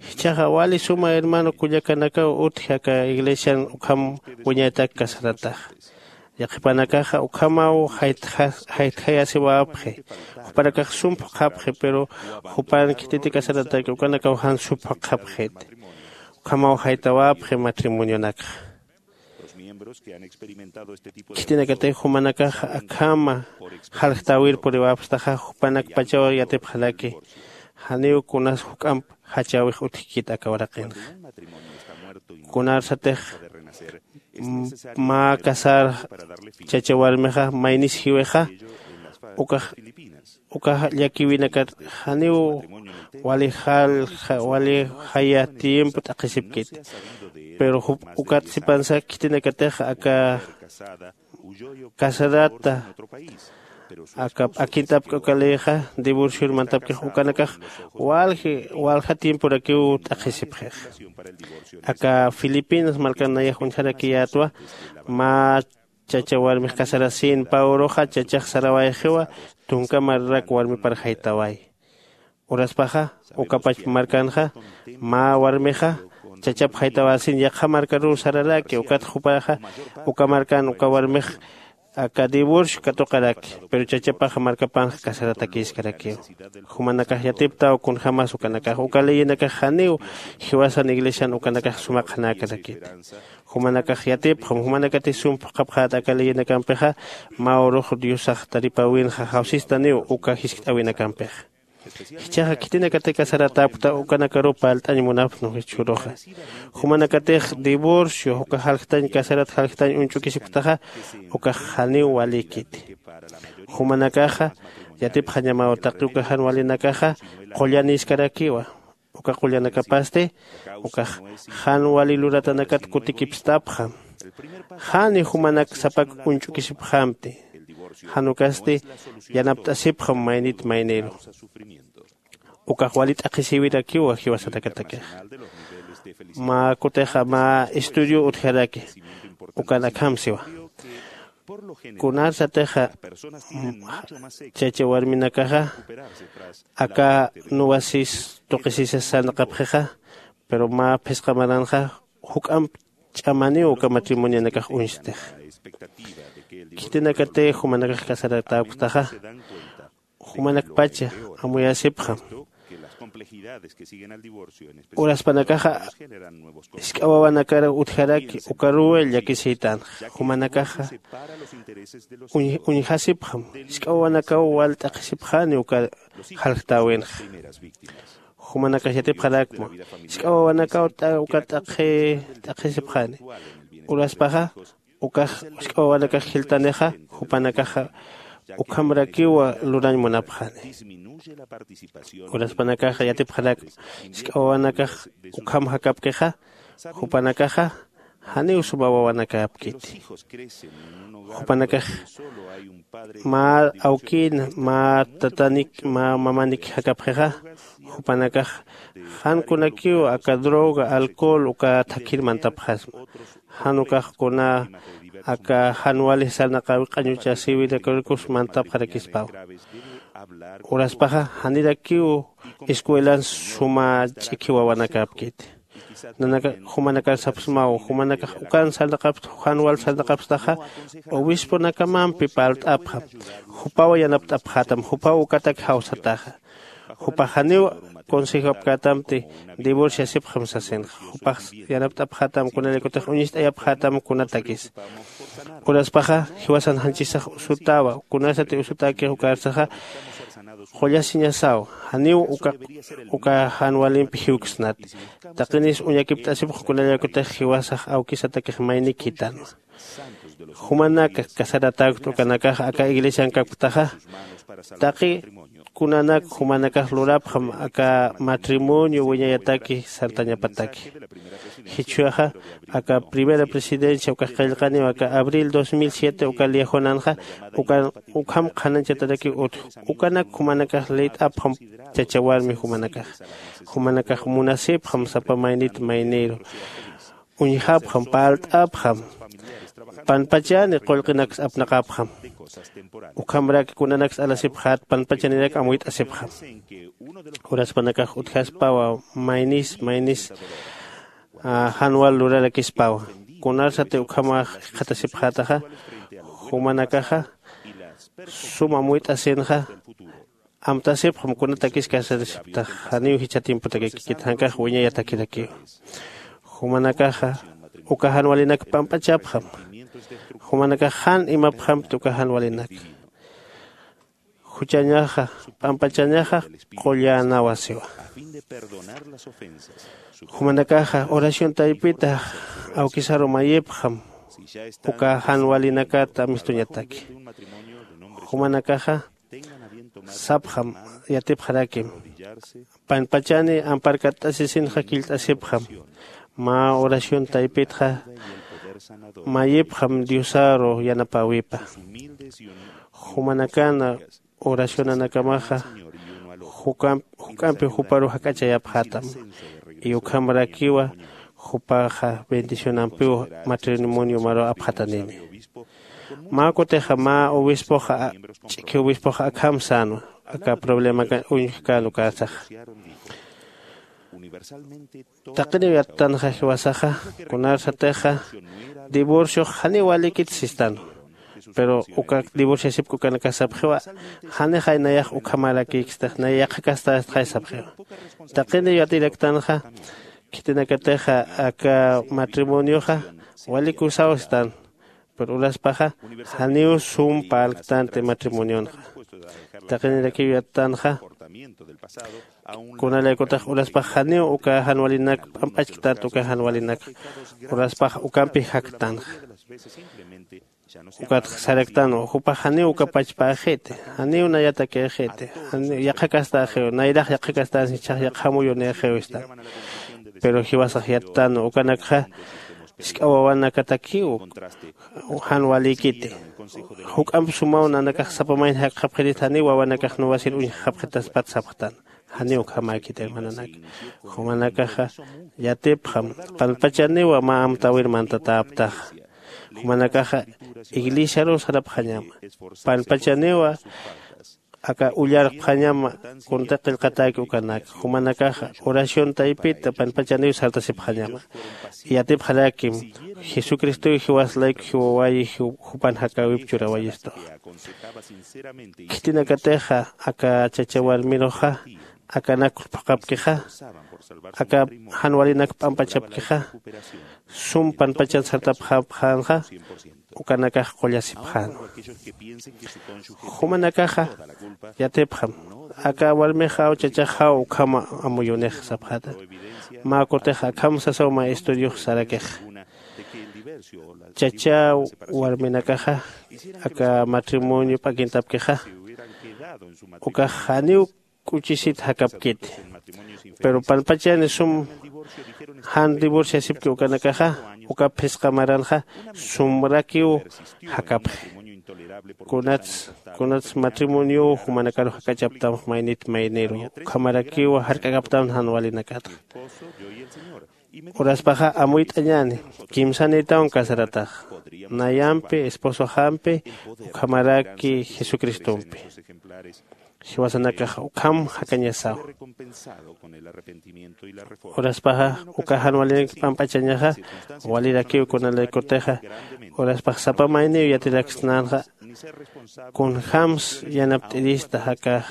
Jichhaxa wali suma hermano kullakanakaw utji aka iglesian ukham wiñaytak casarataxa. Yaqhipanakaxa ukhamaw jaytja- jaytjayasiwapxi. Jupanakax sum phuqhapxi, pero jupan khititi casarataki ukanakaw jan sum phuqhapxiti. Ukhamaw jaytawapxi matrimonionakxa. Khitinakatix jumanakaxa akhama jaljtäwir puriwapxtaxa, jupanakpachaw yatipxaraki janiw kunas juk'amp jachäwix utjkit aka waraqinxa. Kunarsatix m- mä casar chacha warmixa maynis jiwixa, ukax uka llakiwinakat janiw wali jalja wali jaya tiempo t'aqhisipkiti. Pero jup ukat sipansa khitinakatix aka casarata aka p'akint'apki uka leyxa divorcior mantapkix ukanakax walji walja tiemporakiw t'aqhisipxixa. Aka filipinas markan nayax uñjarakiyätwa. Mä chacha warmix casarasin pä uruxa chachax sarawayxiwa, tunka marrak warmipar jaytaway. Uraspaxa ukapachpa markanxa mä warmixa chachap jaytawasin yaqha markaruw sararaki, ukat jupaxa uka markan uka warmix aka divorcio katuqaraki. Pero chachapaxa markapanxa casaratakïskarakiw. Jumanakax yatiptaw kunjämas ukanakax uka leyinakax janiw jiwasan iglesian ukanakax suma qhanäkarakiti. Jumanakax yatipxam jumanakatix sum phuqhapxäta aka leyinakampixa, mä urux diosax taripäwinxa jawsistaniw uka jiskt'äwinakampixa. Jichhaxa khitinakatix casaratäpkta ukanakaruw parlt'añ munapxnu jichhüruxa. Jumanakatix divorcio uka jaljtañ casarat jaljtañ uñch'ukisipktaxa, ukax janiw walïkiti. Jumanakaxa yatipxañamaw taqi uka jan walinakaxa qullanïskarakiwa. Uka qullanakapasti ukax jan wali luratanakat kutikipstapxam. Jani jumanak sapak uñch'ukisipxamti. Jan ukasti yanapt'asipxam maynit mayniru. Ukax wali t'aqhisïwirakiwa jiwasanakatakixa. Mä kutixa mä estudio utjaraki ukan akham siwa. Kunarsatixa chacha warminakaxa aka nuwasis tuqisisas sarnaqapxixa, pero mä phisqa maranxa juk'amp ch'amaniw uka matrimonionakax uñstixa. Khitinakatix jumanakax casaratäpktaxa, jumanakpacha amuyasipxam. Uraspanakaxa jisk'a wawanakar utjaraki ukaruw llakisïtanxa. Jumanakaxa uñ- uñjasipxam, jisk'a wawanakaw wal t'aqhisipxani uka jaljtäwinxa. Jumanakax yatipxarakma, jisk'a wawanakaw t'a- uka t'aqhi- t'aqhisipxani. Uraspaxa ukax jisk'a wawanakax jiltanixa, jupanakaxa ukhamrakiw lurañ munapxani. Uraspanakaxa yatipxarakma, jisk'a wawanakax ukham jakapkixa, jupanakaxa janiw suma wawanakäpkiti. Jupanakax mä awkïna, mä tatanik, mä mamanik jakapxixa, jupanakax jan kunakiw aka droga, alcohol uka thakhir mantapxasma. Jan ukax kuna aka jan wali sarnaqäwi q'añuchasïwinakarakus mantapxarakispaw. Uraspaxa janirakiw escuelan suma ch'ikhi wawanakäpkiti. Nanaka jumanakar sapxsmaw, jumanakax ukan sarnaqapxta, jan wal sarnaqapxtaxa obisponakamampi parlt'apxam. Jupaw yanapt'apxätam, jupaw ukatak jawsataxa. Jupax janiw consejopkätamti divorciasipxam sasinxa. Jupax yanapt'apxätam kunalïkutix uñist'ayapxätam kunatakis. Uraspaxa jiwasan janchisax usutäwa, kunasati usutäkix ukarsaxa qullasiñasaw, janiw uka uka jan walimpi jiwksnati. Taqinis uñakipt'asipx kunalïkutix jiwasax awkisatakix maynikitanwa. Jumanak casaratäkta ukanakax aka iglesiankapktaxa, taqi kunanak jumanakax lurapxam aka matrimonio wiñayataki sartañapataki. Jichhuyaxa aka primera presidencia ukax qillqaniw aka abril dos mil siete uka liajonanxa ukan ukham qhanañchatarakiw utj. Ukanak jumanakax lït'apxam chacha warmi jumanakax. Jumanakax munasipxam sapa maynit mayniru, uñjapxam, parlt'apxam, panpachani qullqinaks apnaqapxam. Ukhamrak kunanaks alasipxät panpachanirak amuyt'asipxam. Uraspanakax utjaspawa maynis maynis jan wal lurarakispawa. Kunarsati ukhamax jikxatasipxätaxa, jumanakaxa suma amuyt'asinxa amtasipxam kunatakis casarasipktax. Janiw jichha tiempotakikit jankax wiñayatakirakiw. Jumanakaxa uka jan walinak pamp'achapxam. Jumanakax jan imapxampti uka jan walinak. Juchañaxa p'ampachañaxa qullänawasiwa. Jumanakaxa oración taypita awkisaru mayipxam uka jan walinakat amistuñataki. Jumanakaxa sapxam yatipxarakim. Panpachani amparkatt'asisinxa killt'asipxam. Mä oración taypitxa mayipxam diosaru yanapäwipa. Jumanakana oracionanakamaxa juk'ampi juparu jak'achayapxätam. Y ukhamrakiwa jupaxa bendicionampiw matrimonio maru apxatanini. Mä kutixa mä obispoxa ch'ikhi obispoxa akham sänwa aka problemaka uñjkän ukasaxa. Taqiniw yattanxa jiwasaxa kunarsatixa divorciox janiw walikit sistan. Pero uka divorciasipki ukanakax sapxiwa janixay nayax ukhamarakïkstix nay yaqhakastastxay sapxiwa. Taqiniw yatiraktanxa khitinakatixa aka matrimonioxa walikusaw sistan. Pero uraspaxa janiw sum parlktanti matrimonionxa. Taqinirakiw yattanxa kunalaykutax uraspax janiw uka jan walinak p'amp'achktanti uka jan walinak. Uraspax ukampi jaktanxa. Ukatx saraktanwa jupax janiw uka pachpäxiti, janiw nayatakïxiti, yaqhakastäxiw nayrax yaqhakastänsi ichhax yaqha amuyunïxiw istan. Pero jiwasax yattanwa ukanakxa jisk'a wawanakatakiw jan walïkiti. Juk'amp sumaw nanakax sapa mayni jakxapxirista janiw wawanakax nuwasir uñjxapxitaspat sapxtan. Janiw ukhamäkiti hermananak. Jumanakaxa yatipxam panpachaniwa mä amtäwir mantatäptaxa. Jumanakaxa iglesiaruw sarapxañama. Panpachaniwa aka ullarpxañama kunti qillqatäki ukanak. Jumanakaxa oración taypita panpachaniw sartasipxañama. Yatipxarakim jesucristow jiwas layku jiwawayi jupan jakäwip churawayistuxa. Khitinakatixa aka chacha warmiruxa akanak phuqhapkixa aka jan walinak p'ampachapkixa sum panpachan sartapxapxänxa. Ukanakax qullasipxänwa. Jumanakaxa yatipxam aka warmixaw chachaxaw ukham amuyunix sapxäta. Mä kutix akham sasaw mä estudiox sarakixa chacha warminakaxa aka matrimonio p'akintapkixa ukax janiw k'uchisit jakapkiti. Pero panpachani sum jan divorciasipki ukanakaxa uka phisqa maranxa sumrakiw jakapxi. Kunats kunats matrimoniow jumanakaru jak'achaptam maynit mayniru ukhamarakiw jark'akaptam jan walinakatxa. Uraspaxa amuyt'añäni kimsanïtawan casarataxa nayampi esposoxampi ukhamaraki jesucristompi. Jiwasanakax ukham jakañasaw. Uraspaxa uka jan walinak p'amp'achañaxa walirakiw kunalaykutixa uraspax sapa mayniw yatiraksnänxa kunjämsa yanapt'irista jakax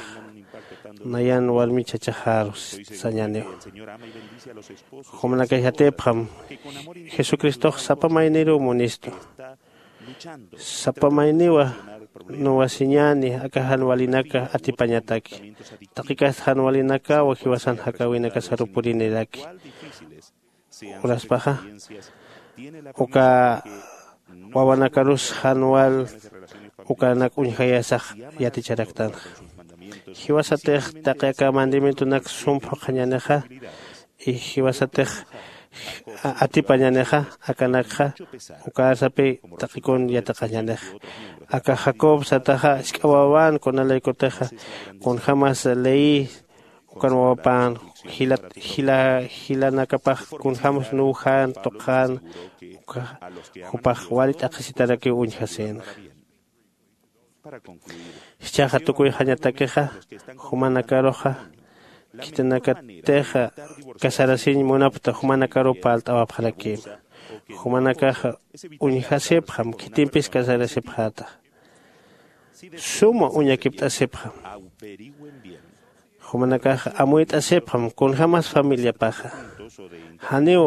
nayan warmi chachaxaru sañäniwa. Jumanakax yatipxam jesucristox sapa mayniruw munistu. Sapa mayniwa nuwasiñäni aka jan walinaka atipañataki. Taqikast jan walinakawa jiwasan jakäwinakasaru puriniraki. Uraspaxa uka wawanakarus jan wal ukanak uñjayasax yaticharaktanxa. Jiwasatix taqi aka mandamientonak sum phuqhañänixa, y jiwasatix a- atipañänixa, akanakxa uka arsapi taqikun yatiqañänixa. Aka Jacob sataxa jisk'a wawan kunalaykutixa kunjämas leí ukan wawapan jila jila jilanakapax kunjämas nuwjän tuqän, uka jupax wali t'aqhisitarakiw uñjasïnxa. Jichhaxa tukuyxañatakixa, jumanakaruxa khitinakatixa casarasiñ munapkta jumanakaruw parlt'awapxarakïma. Jumanakaxa uñjasipxam, khitimpis casarasipxäta. Suma uñakipt'asipxam. Jumanakaxa amuyt'asipxam kunjämas familiapaxa. Janiw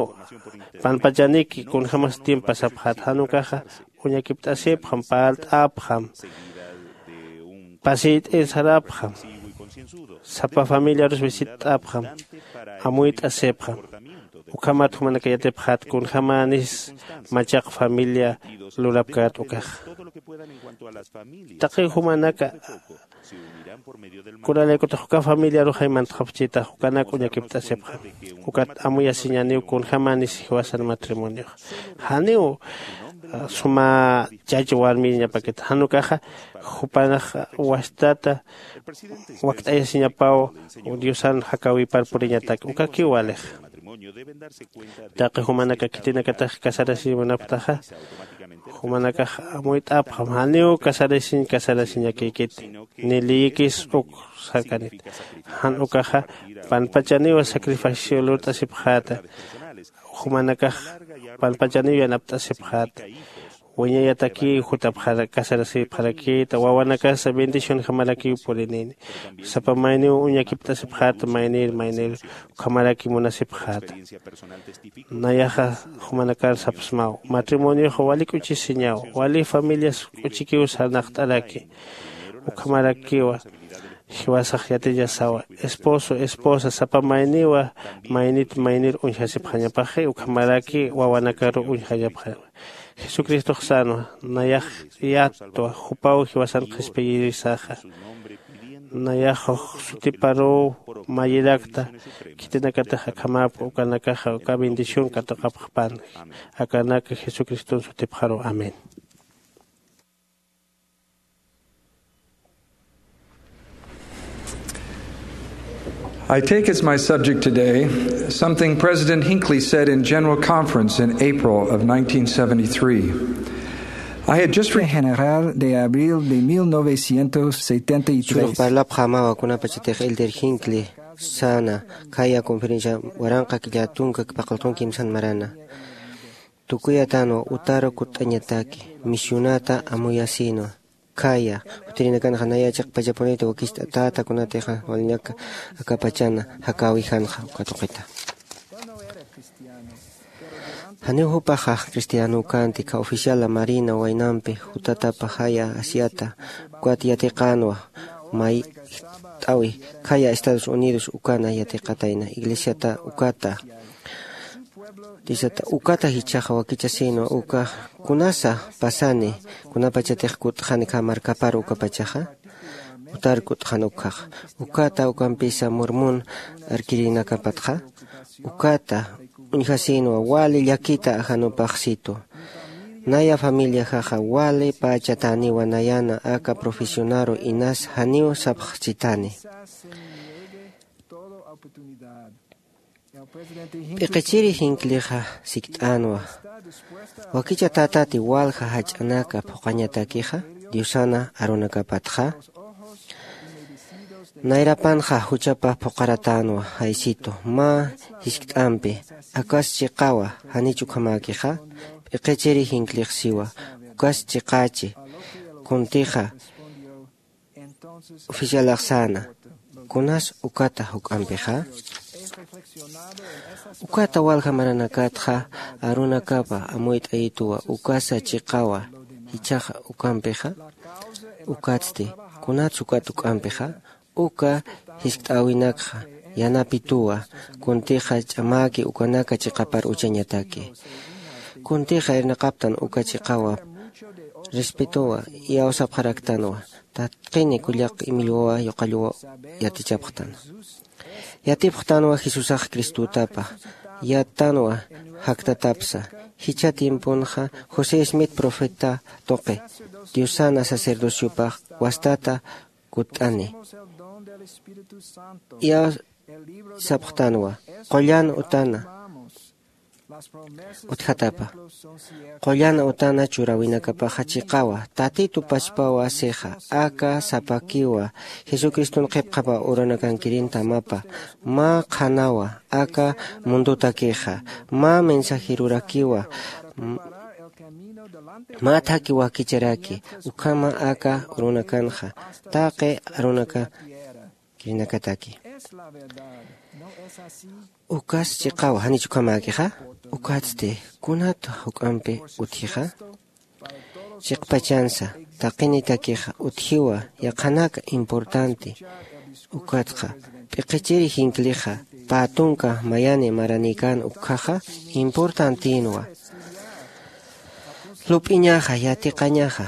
panpachaniki kunjämas tiempo pasapxäta, jan ukaxa uñakipt'asipxam, parlt'apxam, pasiyt'ir sarapxam, sapa familiarus visitt'apxam, amuyt'asipxam. Ukhamat jumanaka yatipxät kunjämänis machaq familia lurapkät ukaxa. Taqi jumanaka kunalaykutix uka familiaruxay mantxapchitax ukanak uñakipt'asipxam. Ukat amuyasiñäniw kunjämänis jiwasan matrimoniox. Janiw suma chach warmiñapakita, jan ukaxa jupanax wastata wakt'ayasiñapaw diosan jakäwipar puriñatak, ukakiw walixa. Taqi jumanaka khitinakatix casarasiñ munapktaxa, jumanakax amuyt'apxam, janiw casarasiñ casarasiñakïkiti, ni leyikis uk sarkanit. Jan ukaxa panpachaniw sacrificio lurt'asipxäta. Jumanakax panpachaniw yanapt'asipxäta. Wiñayatakiw jutapxara casarasipxarakïta, wawanakasa bendicionjamarakiw purinïni. Sapa mayniw uñakipt'asipxäta, maynir maynir ukhamaraki munasipxäta. Nayaxa jumanakar sapxsmaw, matrimonioxa wali k'uchisiñaw, wali familias k'uchikiw sarnaqt'araki. Ukhamarakiwa jiwasax yatiñasawa, esposo esposa sapa mayniwa maynit maynir uñjasipxañapaxi, ukhamaraki wawanakaru uñjañapxañapaxi. Jesucristox sänwa, nayax yattwa, jupaw jiwasan qhispiyirisaxa. Nayax sutiparuw mayirakta, khitinakatix akhamäpxi, ukanakaxa uka bendición katuqapxpan. Akanak Jesucriston sutipxaruw. Amén. I take as my subject today something President Hinckley said in General Conference in April of nineteen seventy-three. I had just re- General de abril de mil novecientos setenta y tres. Churux parlapxämawa kunapachatix Elder Hinckley säna, khaya conferencia waranqa killa tunka paqallqun kimsan marana. Tukuyatänwa utaru kutt'añataki, misionata amuyasïnwa. Khaya, jutirinakanxa naya chiqpachapuniti wakicht'atäta kunatixa waliñaka akapachana jakäwijanxa uka tuqita. Janiw jupaxa cristianökanti, kha oficiala marina waynampi jutatapa jaya asiata, ukat yatiqänwa, mayt'awi, khaya Estados Unidos ukana yatiqatayna, iglesiata ukata. Tisata ukata jichhaxa wakichasïnwa uka, kunasa pasani, kunapachatix kutt'xani kha markapar ukapachaxa, utar kutt'xan ukhaxa. Ukata ukampisa Mormon arkirinakapatxa, ukata uñjasïnwa wali llakita ajanupaxsitu. Naya familiaxaxa wali pachätäniwa nayana aka profesionaru inas janiw sapxchitani. P'iqichiri Hinckleyxa sikt'änwa, wakichatätati walja jach'anaka phuqhañatakixa diosana arunakapatxa. Nayrapanxa juchapa phuqharatänwa, jaysitu mä jiskt'ampi, akas chiqawa, janich ukhamäkixa? P'iqichiri Hinckleyx siwa, ukas chiqächi. Kuntixa oficialax säna, kunas ukata juk'ampixa? Ukata walja maranakatxa arunakapa amuyt'ayituwa, ukasa chiqawa, jichhaxa ukampixa? Ukatsti, kunats ukat juk'ampixa? Uka jiskt'äwinakxa yanapituwa, kuntixa ch'amäki ukanaka chiqapar uchañataki. Kuntixa irnaqaptan uka chiqawa, respetowa iyawsapxaraktanwa. Tatqini kullaq imillwawa yuqallwaw yatichapxtan. Yatipxtanwa jesusax cristotapa, yattanwa jaktatapsa. Jichha tiemponxa josé smith profeta tuqi, diosana sacerdociopax wastata kutt'ani. Iyawsapxtanwa qullan utana utjatapa. Qullan utana churäwinakapaxa chiqawa, tatitu pachpawa sixa, aka sapakiwa jesucriston qhipqapa uranakankirinta mapa, mä qhanawa aka mundotakixa, mä mensajerurakiwa, m- mä thaki wakicharaki ukhama aka urunakanxa, taqi arunaka kirinakataki. Ukas chiqawa janich ukhamäkixa? Ukatsti kunat juk'ampi utjixa? Chiqpachansa taqinitakixa utjiwa yaqhanaka importanti. Ukatxa p'iqichiri jinklixa pä tunka mayani maranïkän ukkhaxa importantïnwa. Lup'iñaxa yatiqañaxa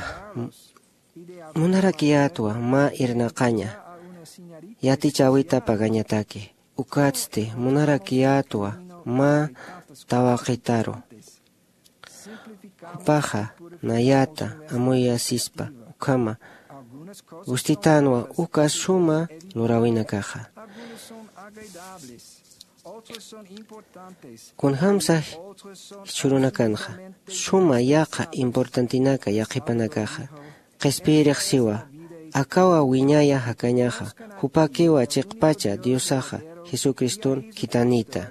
munarakiyätwa mä irnaqaña yatichäwita pagañataki. Ukatsti munarakiyätwa mä tawaqitaru jupaxa nayata amuyasispa ukhama gustitänwa uka suma luräwinakaxa. Kunjämsa jichhürunakanxa suma yaqha importantinaka yaqhipanakaxa qhispiyirix siwa, akawa wiñaya jakañaxa jupakiwa chiqpacha diosaxa jesucriston khitanïta.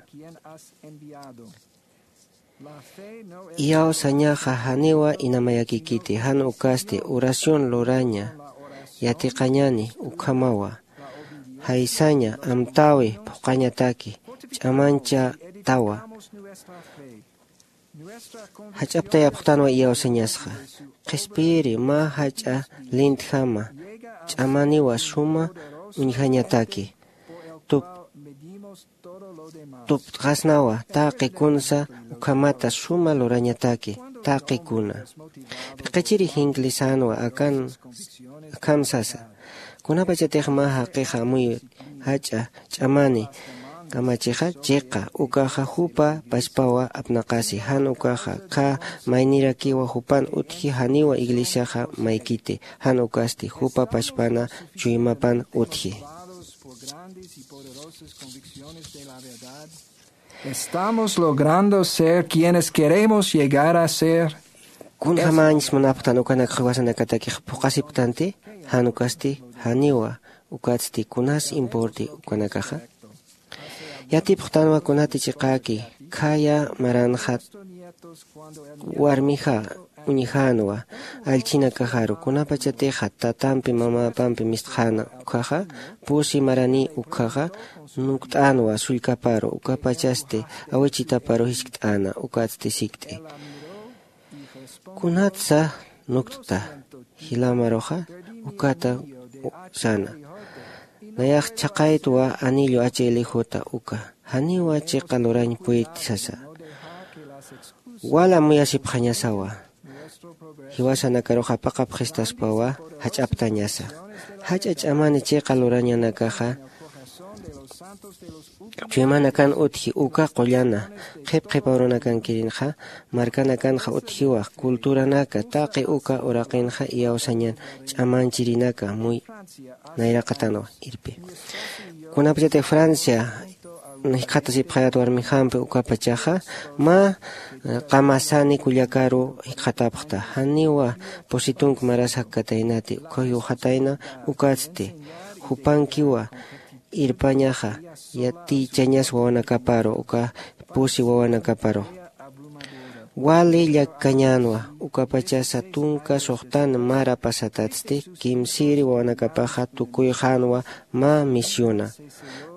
Iyawsañaxa janiwa inamayakikiti jan ukasti oración luraña yatiqañani ukhamawa jaysaña amtäwi phuqhañataki ch'amañchatawa. Jach'aptayapxtanwa iyawsañasxa qhispiyiri mä jach'a lintjama ch'amaniwa suma uñjañataki. Tup tupt'xasnawa taqi kunsa ukhamata suma lurañataki taqi kuna. P'iqichiri jinkli sänwa akan akham sasa kunapachatix mä jaqixa amuy jach'a ch'amani kamachixa chiqa ukaxa jupa pachpawa apnaqasi jan ukaxa khä maynirakiwa jupan utji janiwa iglesiaxa maykiti jan ukasti jupa pachpana chuymapan utji. Estamos logrando ser quienes queremos llegar a ser. Kunjamañs munapxtan ukanak jiwasanakatakix phuqasipktanti jan ukasti janiwa ukatsti kunas importi ukanakaxa? Yatipxtanwa kunati chiqäki khaya maranxa warmixa uñjänwa allchhinakaxaru kunapachatixa tatampi mamapampi mistxäna ukkhaxa pusi marani ukkhaxa nukt'änwa sullkaparu ukapachasti awichitaparu jiskt'äna ukatsti sikt'i. Kunatsa nuktta jilamaruxa ukata sana nayax chhaqaytwa anillu achaylijuta uka janiwa chiqa lurañ puyti sasa. Wal amuyasipxañasawa jiwasanakaruxa paqapxistaspawa jach'aptañasa jach'a ch'amani chiqa lurañanakaxa chuymanakan utji uka qullana qhip qhipa urunakankirinaxa markanakanxa utjiwa culturanaka taqi uka uraqinxa iyawsañan ch'amanchirinaka muy nayraqatanwa irpi. Kunapachatix francia jikxatasipxayät warmijampi ukapachaxa mä qamasani kullakaru jikxatapxta janiwa pusi tunka maras jakkataynati ukkhaw jiwxatayna ukatsti jupankiwa irpañaxa yatichañas wawanakaparu uka pusi wawanakaparu wali llakkañänwa. Ukapachasa tunka suxtan mara pasatatsti kimsiri wawanakapaxa tukuyxänwa mä misiona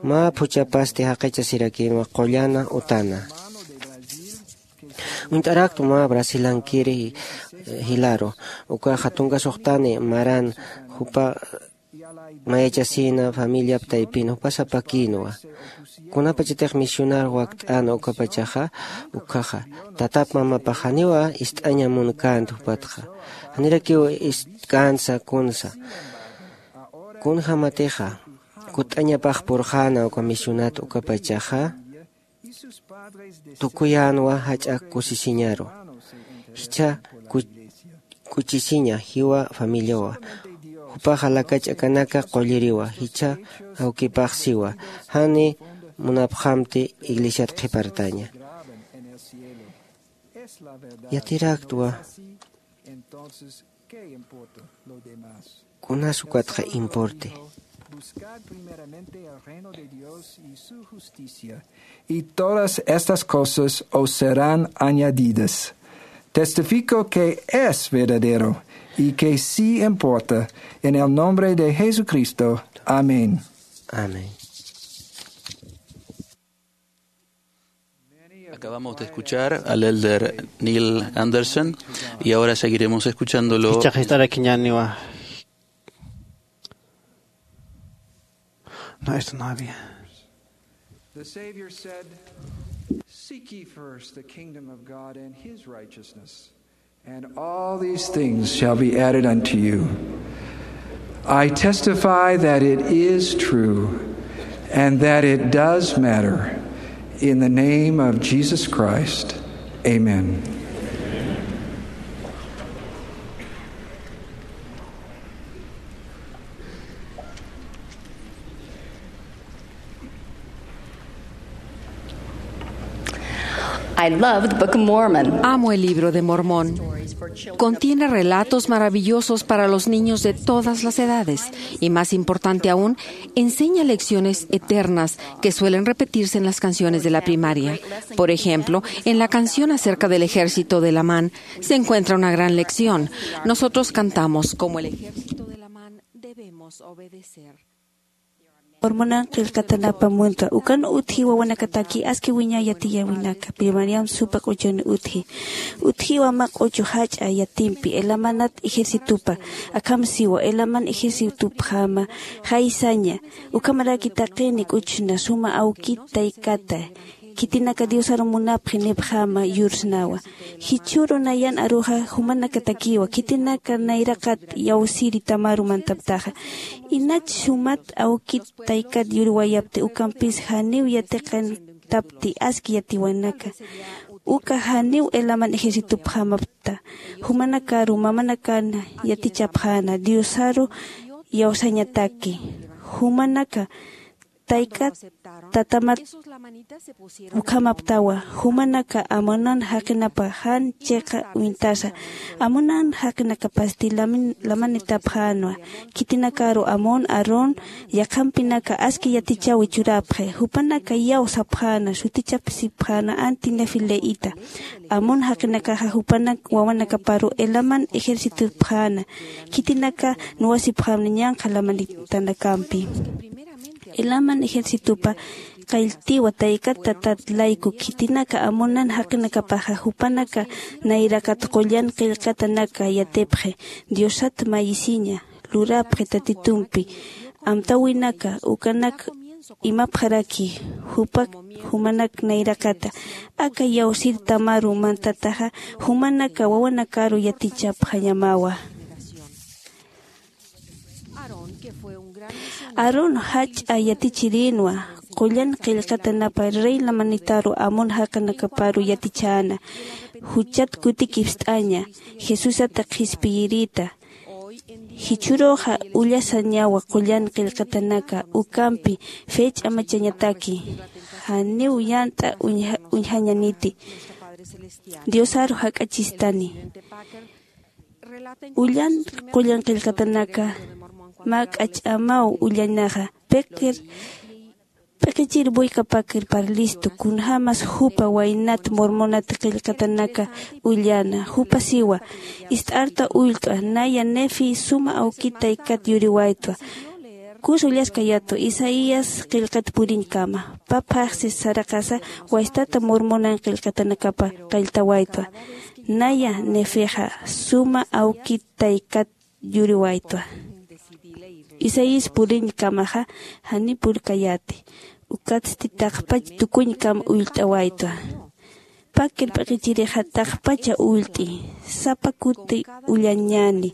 mä phuchhapasti jaqichasirakïnwa qullana utana. Uñt'araktwa mä brasilankiri jilaru ukaxa tunka suxtani maran jupa mayachasina familiap taypin jupasapakïnwa. Kunapachatix misionar wakt'äna ukapachaxa, ukhaxa tatap mamapax janiwa ist'aña munkänti jupatxa. Janirakiw istkänsa kunsa. Kunjämatixa kutt'añapax purxäna uka misionat ukapachaxa, tukuyänwa jach'a kusisiñaru. Jichha ku- kuchisiña jiwa familiawa. Jupaxa lakach'akanaka qulliriwa, jichha awkipax siwa, jani munapxamti iglesiat qhipartaña. Yatiraktwa. Kunas ukatxa importe. Buscad primeramente el reino de Dios y su justicia, y todas estas cosas os serán añadidas. Testifico que es verdadero y que sí importa, en el nombre de Jesucristo. Amén. Amén. Acabamos de escuchar al elder Neil Andersen y ahora seguiremos escuchándolo. Ichaxist'arakiñaniwa. No, esto no había. The Savior said, "Seek ye first the kingdom of God and his righteousness, and all these things shall be added unto you." I testify that it is true and that it does matter. In the name of Jesus Christ, amen. I love the Book of Mormon. Amo el libro de Mormón. Contiene relatos maravillosos para los niños de todas las edades y, más importante aún, enseña lecciones eternas que suelen repetirse en las canciones de la primaria. Por ejemplo, en la canción acerca del ejército de Lamán se encuentra una gran lección. Nosotros cantamos: "Como el ejército de Lamán debemos obedecer". Mormonan qillqatanapa muntwa. Ukan utji wawanakataki aski wiñay yatiyäwinaka. Primariam supa k'uchun utji. Utjiwa mä k'uchu jach'a yatimpi, Elamanat ejercitopa. Akham siwa, Elaman ejercitopjama jaysaña. Ukhamaraki taqini k'uchna suma awkit taykata, khitinaka Diosaru munapxi nipxama yursnawa. Jichhüru nayan aruxa jumanakatakiwa, khitinaka nayraqat iyawsiri tamaru mantaptaxa. Inach sumat awkit taykat yurwayapti ukampis janiw yatiqantapti aski yatiwanaka. Uka janiw Elaman ejercitopjamapta. Jumanakaru mamanakan yatichapxäna, Diosaru iyawsañataki. Jumanaka taykat tatamat ukhamaptawa, jumanaka Amonan jaqinapa jan chiqa uñtasa. Amonan jaqinakapasti lamin-, lamanitapxänwa. Khitinakaru Amon, Aarón, yaqhampinaka aski yatichäwi churapxi. Jupanaka iyawsapxäna, sutichapsipxäna anti Nefi-Leíta. Amon jaqinakaxa jupanak wawanakaparu Elaman ejercitopxäna. Khitinaka nuwasipxäna ñanqha lamanitanakampi. Elaman ejercitopa qalltiwa taykat tatat layku, khitinaka Amonan jaqinakapaxa jupanaka nayraqat qullan qillqatanaka yatipxi, Diosat mayisiña lurapxi Tatitumpi amtäwinaka, ukanak imapxaraki, jupa jumanak nayraqata. Aka iyawsir tamaru mantataxa, jumanaka wawanakaru yatichapxañamawa. Aarón jach'a yatichirïnwa, qullan qillqatanapa rey lamanitaru Amon jaqinakaparu yatichäna, juchat kutikipst'aña, Jesusat qhispiyirïta. Jichhüruxa ullasañawa qullan qillqatanaka ukampi fech'a machañataki, janiw yant'a uñja-, uñjañaniti. Diosaru jak'achistani. Ullan qullan qillqatanaka mä k'ach'amaw ullañaxa. Pikir, p'iqichir buykapakir parlistu, kunjämas jupa waynat Mormonat qillqatanaka ullana. Jupa siwa, ist'arta ullt'a, naya Nefi suma awkit taykat yuriwaytwa. Kus ullaskayätwa Isaías qillqat puriñkama. Pä phaxsi saraqasa wastata Mormonan qillqatanakapa qalltawaytwa. Naya Nefixa suma awkit taykat yuriwaytwa. Isaías puriñkamaxa jani purkayäti. Ukatsti taqpach tukuñkam ullt'awaytwa. Pä kirp'iqichirixa taqpacha ullt'i. Sapa kuti ullañäni.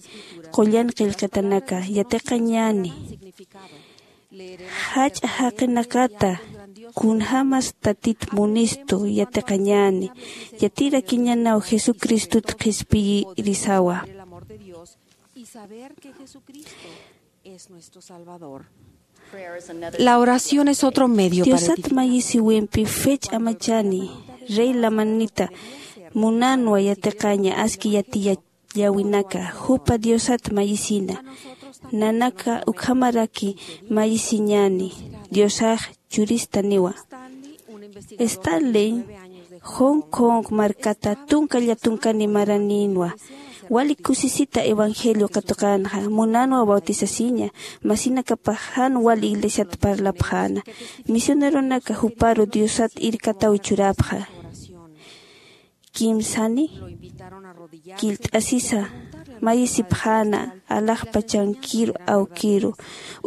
Qullan qillqatanaka yatiqañäni. Jach'a jaqinakata kunjämas tatit munistu yatiqañäni. Yatirakiñänaw jesucristut qhispiyirisawa. La oración es otro medio para... Diosat mayisiwimpi fech amachani rey lamanita munanwa yatiqaña aski yatiyallawinaka jupa diosat mayisina. Nanaka ukhamaraki mayisiñani diosax churistaniwa. Stanley hong kong markata tunka llatunkani maraninwa. Wali kusisita evangelio katuqanxa munanwa bautisasiña. Masinakapax jan wali iglesiat parlapxäna. Misioneronaka juparu diosat irkataw churapxa. Kimsani killt'asisa mayisipxäna alaxpachankiru awkiru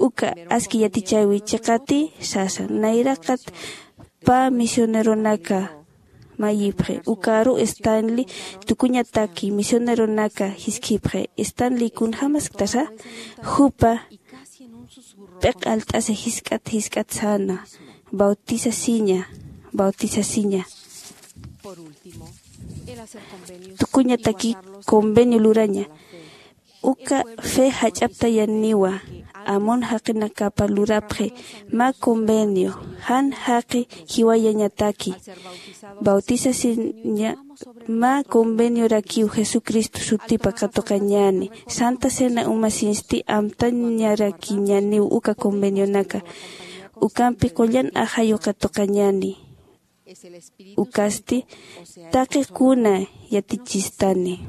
uka aski yatichäwi chiqati sasa. Nayraqat pä misioneronaka mayipxi ukaru stanley tukuñataki misioneronaka jiskhipxi. Stanley kunjämasktasa jupa p'iq alt'asa jisk'at jisk'at säna. Bautisasiña bautisasiña. Tukuñataki convenio luraña. Uka fe jach'aptayaniwa amun jaqinakapa lurapxi mä convenio jan jaqi jiwayañataki. Bautisasiña mä conveniorakiw jesucristo sutipa katuqañäni. Santa cena umasinsti amtañarakiñäniw uka convenionaka. Ukampi qullan ajayu katuqañäni. Ukasti taqi kuna yatichistani.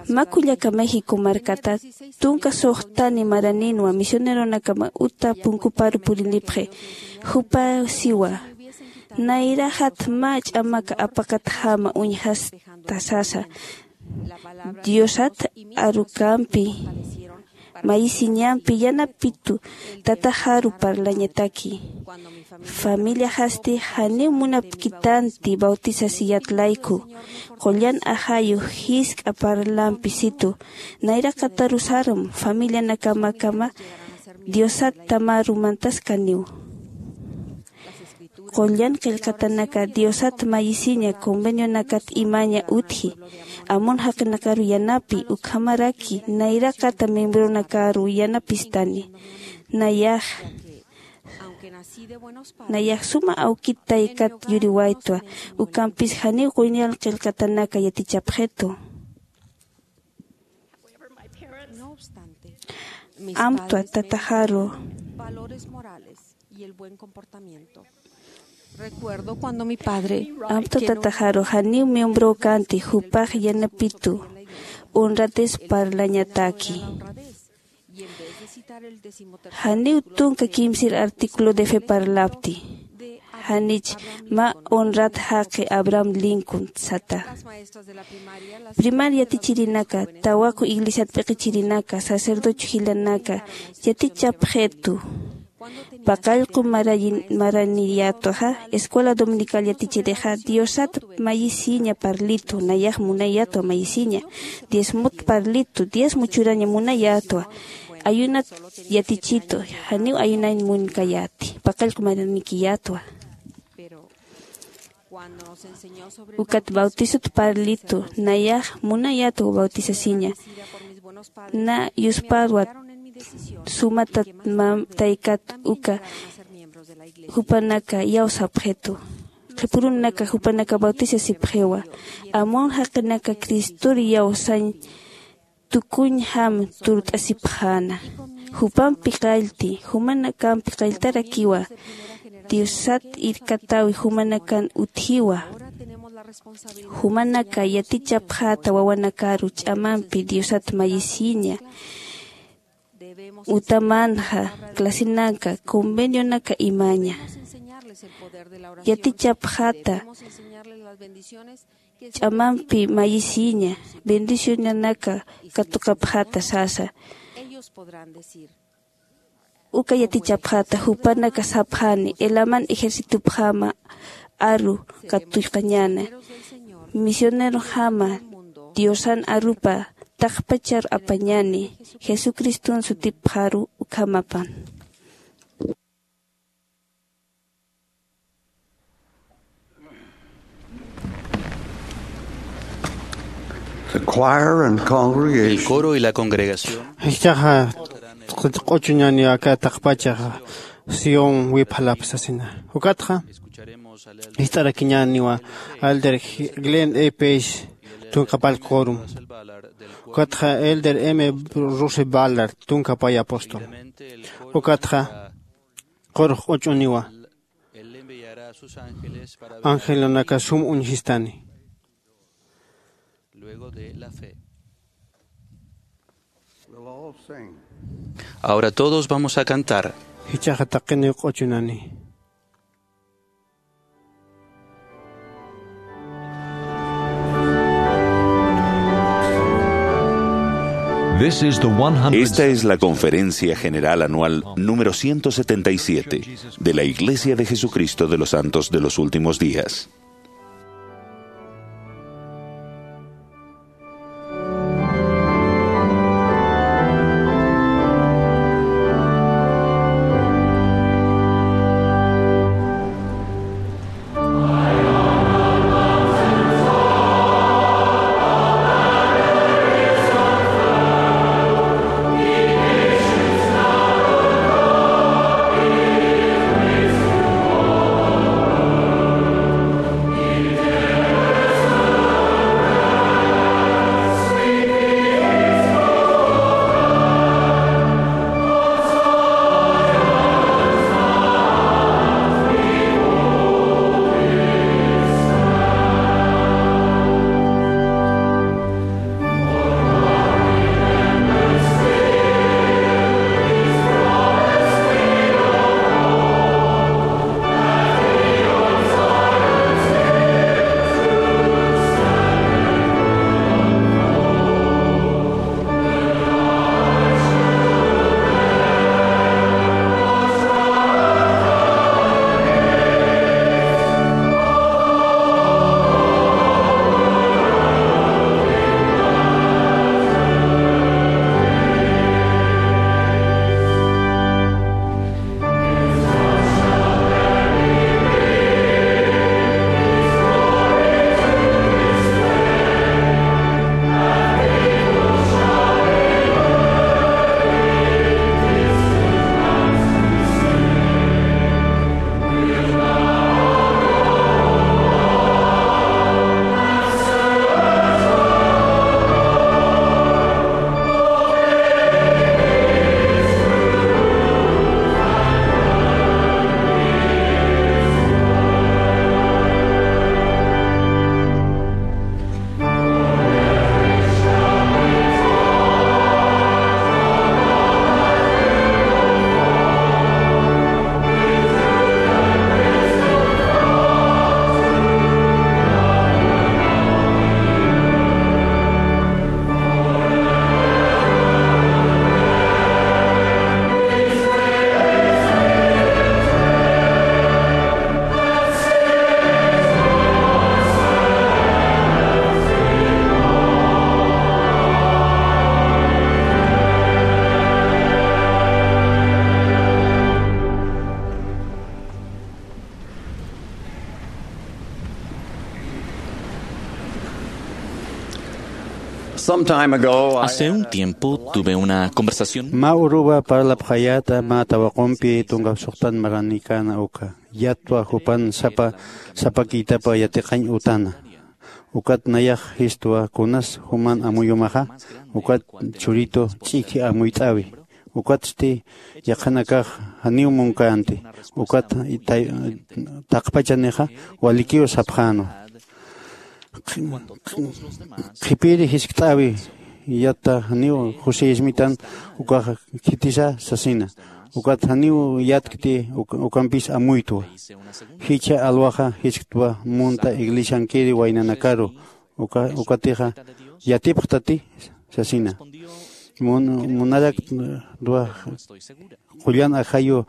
Mä kullaka méxico markata tunka suxtani maraninwa misioneronakama uta punkuparu purinipxi. Jupa siwa nayraxat mä ch'amaka apakatjama uñjasta sasa. Diosat arukampi mayisiñampi yanapitu tataxaru parlañataki. Familiaxasti janiw munapkitanti bautisasiyat layku. Qullan ajayu jisk'a parlampi situ nayraqatarusaram familianakamakama diosat tamaru mantaskaniw. Qullan qillqatanaka diosat mayisiña convenionakat imaña utji amun jaqinakaru yanapi ukhamaraki nayraqata miembronakaru yanapistani. Nayax nayax suma awkit taykat yuriwaytwa. Ukampis janiw quñal qillqatanaka yatichapxitu. Amtwa tataxaru amtwa tataxaru janiw miembrow kanti jupax yanapitu honratis parlañataki. Janiw tunka kimsir artículo de fe parlapti janich mä honrat jaqi abraham lincoln sata. Primaria yatichirinaka tawaqu iglesiat p'iqichirinaka sacerdocio jilanaka yatichapxitu. Paqallqu maraniyätwaxa escuela dominical yatichirixa diosat mayisiña parlitu nayax munayätwa mayisiña. Diezmot parlitu diezmo churaña munayätwa. Ayunat yatichitu janiw ayunañ munkayäti paqallqu maranikiyätwa. Ukat bautisot parlitu nayax munayätwa bautisasiña. Na yusparwat sumatat mam taykat uka jupanaka iyawsapxitu. Qhipurunaka jupanaka bautisasipxiwa amun jaqinaka cristor iyawsañ tukuñjam turt'asipxäna. Jupampi qallti jumanakampi qalltarakiwa. Diosat irkatäwi jumanakan utjiwa. Jumanaka yatichapxäta wawanakaru ch'amampi diosat mayisiña. Utamanxa clasenaka convenionaka imaña yatichapxäta ch'amampi mayisiña bendicionanaka katuqapxäta sasa. Uka yatichapxäta jupanaka sapxäni, Helaman ejercitopjama aru katuqañäni, misionerojama Diosan arupa taqpachar apañäni, Jesucriston sutipxaru ukhamapan. The choir and congregation. El coro y la congregación. Jichhaxa q'uchuñäniwa aka taqpachaxa Sión wipxalap sasina. Ukatxa jist'arakiñäniwa Elder Glenn E. Page tunka pal quorum. Ukatxa Elder M. Russell Ballard tunka pay apóstol. Ukatxa qurux q'uch'uniwa angelunaka sum uñjistani. Ahora todos vamos a cantar. Jichhaxa taqiniw q'uchunani. This is the one hundred. Esta es la Conferencia General Anual número ciento setenta y siete de la Iglesia de Jesucristo de los Santos de los Últimos Días. Some time ago, I Hace un tiempo tuve una conversación. Mä uruwa parlapxayäta mä tawaqumpi tunka suxtan maranikäna uka. Yatwa jupan sapa sapakïtapa yatiqañ utana. Ukat nayax jistwa kunas juman amuyumaxa, ukat churitu ch'iki amuyt'äwi. Ukatsti yaqhanakax janiw munkänti, ukat tay-, taqpachanixa walikiw sapxänwa. Qhipiri jiskt'äwi, yata janiw José Smith-an ukax khitisa sasina. Ukat janiw yatkti, uk-, ukampis amuytwa. Jichha alwaxa jisktwa munta iglesiankiri waynanakaru, uka-, ukatixa yatipxtati sasina. Mun- munarak ruwax qullan ajayu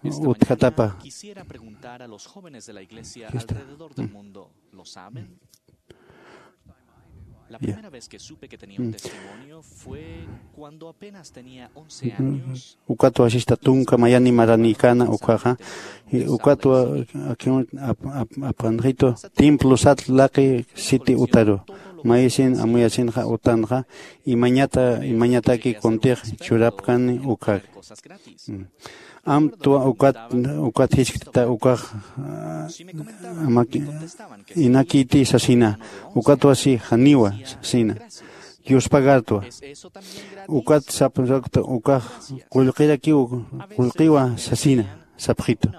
utjatapa. Quisiera preguntar a los jóvenes de la iglesia alrededor del mundo, ¿lo saben? La primera vez que supe que tenía un testimonio fue cuando apenas tenía once años. Ukatwa sista tunka mayani maranïkana ukaxa. Ukatwa akin apqanxitu templo sat laqi siti utaru mayisin amuyasinxa utanxa imañata imañataki kuntix churapkani ukak. Amtwa ukat ukat jisktita ukax inakiti sasina. Ukatwa si janiwa sasina. Diospagartwa ukat sapxakta ukax qullqirakiw qullqiwa sasina. Sapxitu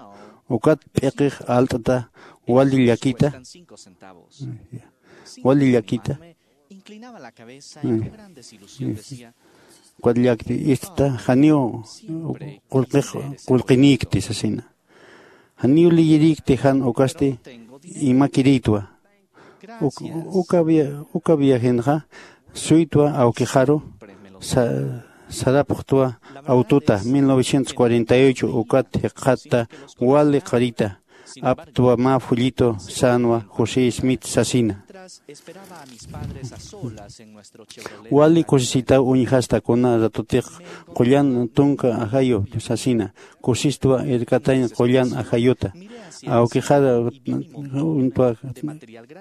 ukat p'iqix alt'ta wali llakita wali llakita ukat llakti ist'ta janiw qullqix qullqinïkti sasina. Janiw liyirïkti jan ukasti imakirïtwa. Uka viajenxa suytwa awkixaru sarapxtwa awtuta mil novecientos cuarenta y ocho ukat jiqxatta wali qarita aptwa mä fullitu sänwa josé smith sasina. Wali kusisitaw uñjasta kuna ratutix qullan tunka ajayu sasina. Kusistwa irkatañ qullan ajayuta awkixar uñtwa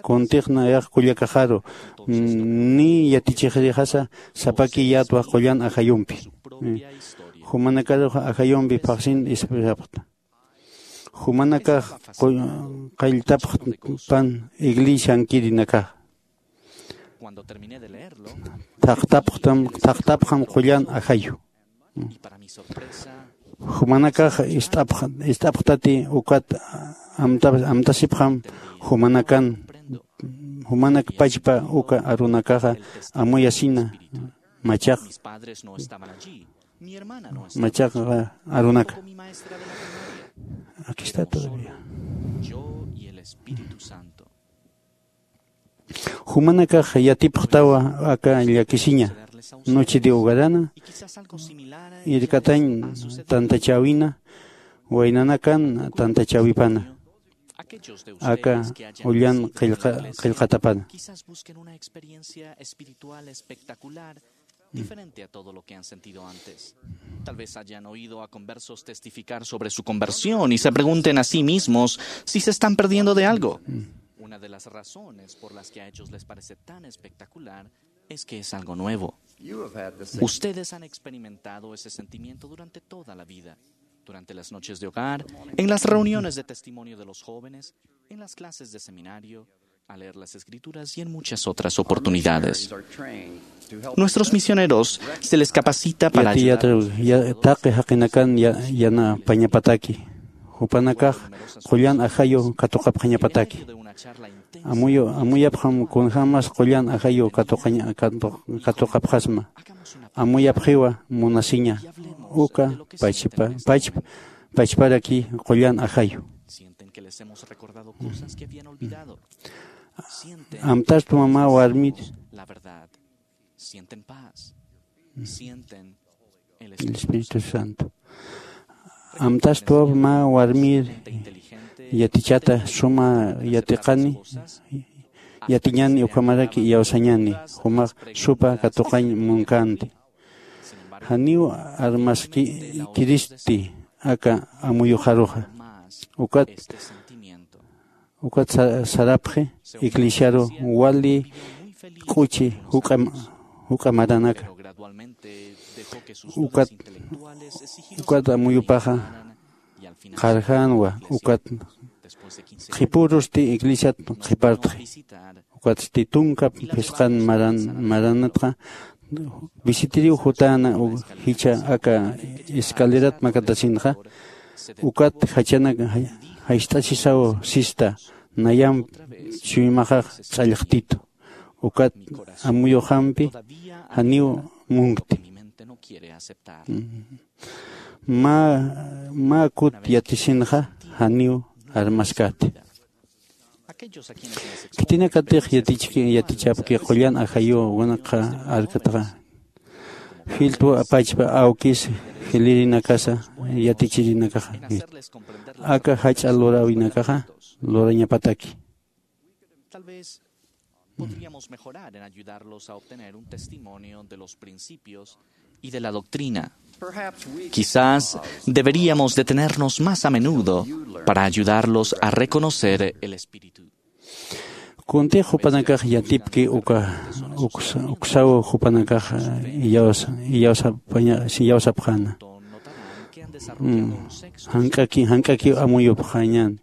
kuntixna yax kullakaxaru ni yatichixrixasa sapaki yatwa qullan ajayumpi. Jumanakaruxa ajayumpi phaxsin ispirapxta jumanakax qalltapxpan iglesiankirinakax. Thaqtapxtam qullan ajayu jumanakax ist'apxtati ukat amtasipxam jumanakan jumanak pachpa uka arunakaxa amuyasina machaq machaq arunaka. Aquí está todavía. Jumanakax yatipxtawa aka llakisiña noche de hogarana irkatañ tantachäwina waynanakan tantachäwipana aka ullan qillqatapana. Diferente a todo lo que han sentido antes. Tal vez hayan oído a conversos testificar sobre su conversión y se pregunten a sí mismos si se están perdiendo de algo. Una de las razones por las que a ellos les parece tan espectacular es que es algo nuevo. Ustedes han experimentado ese sentimiento durante toda la vida, durante las noches de hogar, en las reuniones de testimonio de los jóvenes, en las clases de seminario, a leer las Escrituras y en muchas otras oportunidades. Nuestros misioneros se les capacita para ayudar. Taqi jaqinakan yanapañapataki jupanakax qullan ajayu katuqapxañapataki. Amuyapxam kunjämas qullan ajayu katuqapxasma. Amuyapxiwa munasiña uka pachparaki qullan ajayu. Amtastwa mä warmir el espíritu santo. Amtastwa mä warmir yatichata suma yatiqani yatiñani ukhamaraki iyawsañani jumax supa katuqañ munkanti. Janiw armaskiristi aka amuyuxaruxa. Ukat ukat sarapxi iglesiaru wali k'uchi juk'a maranaka. Ukat ukat amuyupaxa qharjänwa ukat qhipurusti iglesiat qhipartxi. Ukatsti tunka phisqan maranatxa visitiriw jutäna jichha aka escalerat makatasinxa. Ukat jachanak jayt'asisaw sista nayamp chuymaxax ch'allxtitu. Ukat amuyuxampi janiw munkti. Mä mä kut yatisinxa janiw armaskäti. Khitinakatix yatichki yatichapki qullan ajayu wanakxa arkatxa Filtwa pachpa awkis jilirinakasa yatichirinakaxa. Aka jach'a luräwinakaxa lurañapataki. Tal vez podríamos mejorar en ayudarlos a obtener un testimonio de los principios y de la doctrina. Quizás deberíamos detenernos más a menudo para ayudarlos a reconocer el Espíritu. Kuntix jupanakax yatipki uka uksa- uksaw jupanakax iyawsa- iyawsapaña- iyawsapxäna. Jank'aki jank'akiw amuyupxañän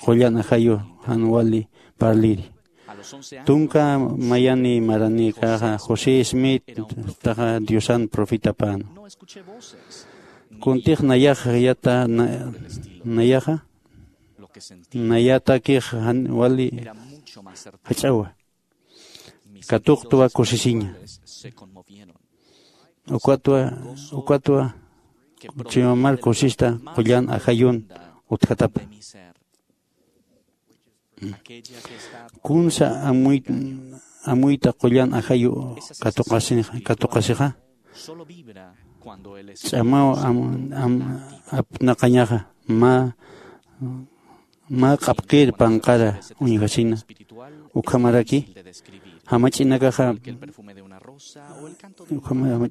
qullan ajayu jan wali parliri. Tunka mayani maranïkaxa José Smith taxa Diosan profetapäna. Kuntix nayax yata na- nayaxa nayatakix jan wali jach'awa. Katuqtwa kusisiña. Ukatwa ukatwa chuymamar kusista qullan ajayun utjatapa. Kunsa amuy- amuyta qullan ajayu katuqasi- katuqasixa. Ch'amaw am- am- apnaqañaxa mä mä q'apqir panqara uñjasina. Ukhamaraki jamach'inakaxa ukhama-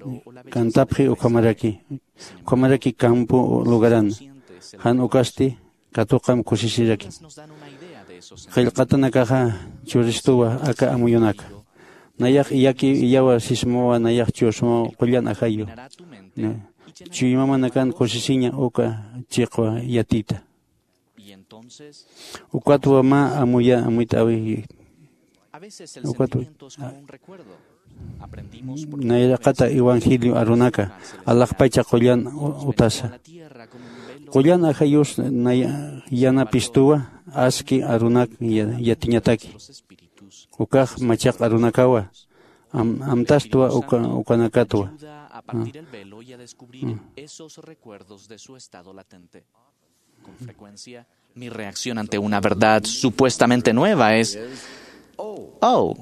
kantapxi ukhamaraki ukhamaraki campo lugaran jan ukasti katuqam kusisiraki. Qillqatanakaxa churistuwa aka amuyunaka. Nayax iyaki iyawa sismawa nayax chusmaw qullan ajayu. Chuymamanakan kusisiña uka chiqwa yatita. Ukatwa mä amuya amuyt'awi. Ukatwa nayraqata evangelio arunaka alaxpacha qullan utasa. Qullan ajayus yanapistuwa aski arunak yatiñataki. Ukax machaq arunakawa amtastwa ukanakatwa. Con frecuencia, mi reacción ante una verdad supuestamente nueva es: "Oh,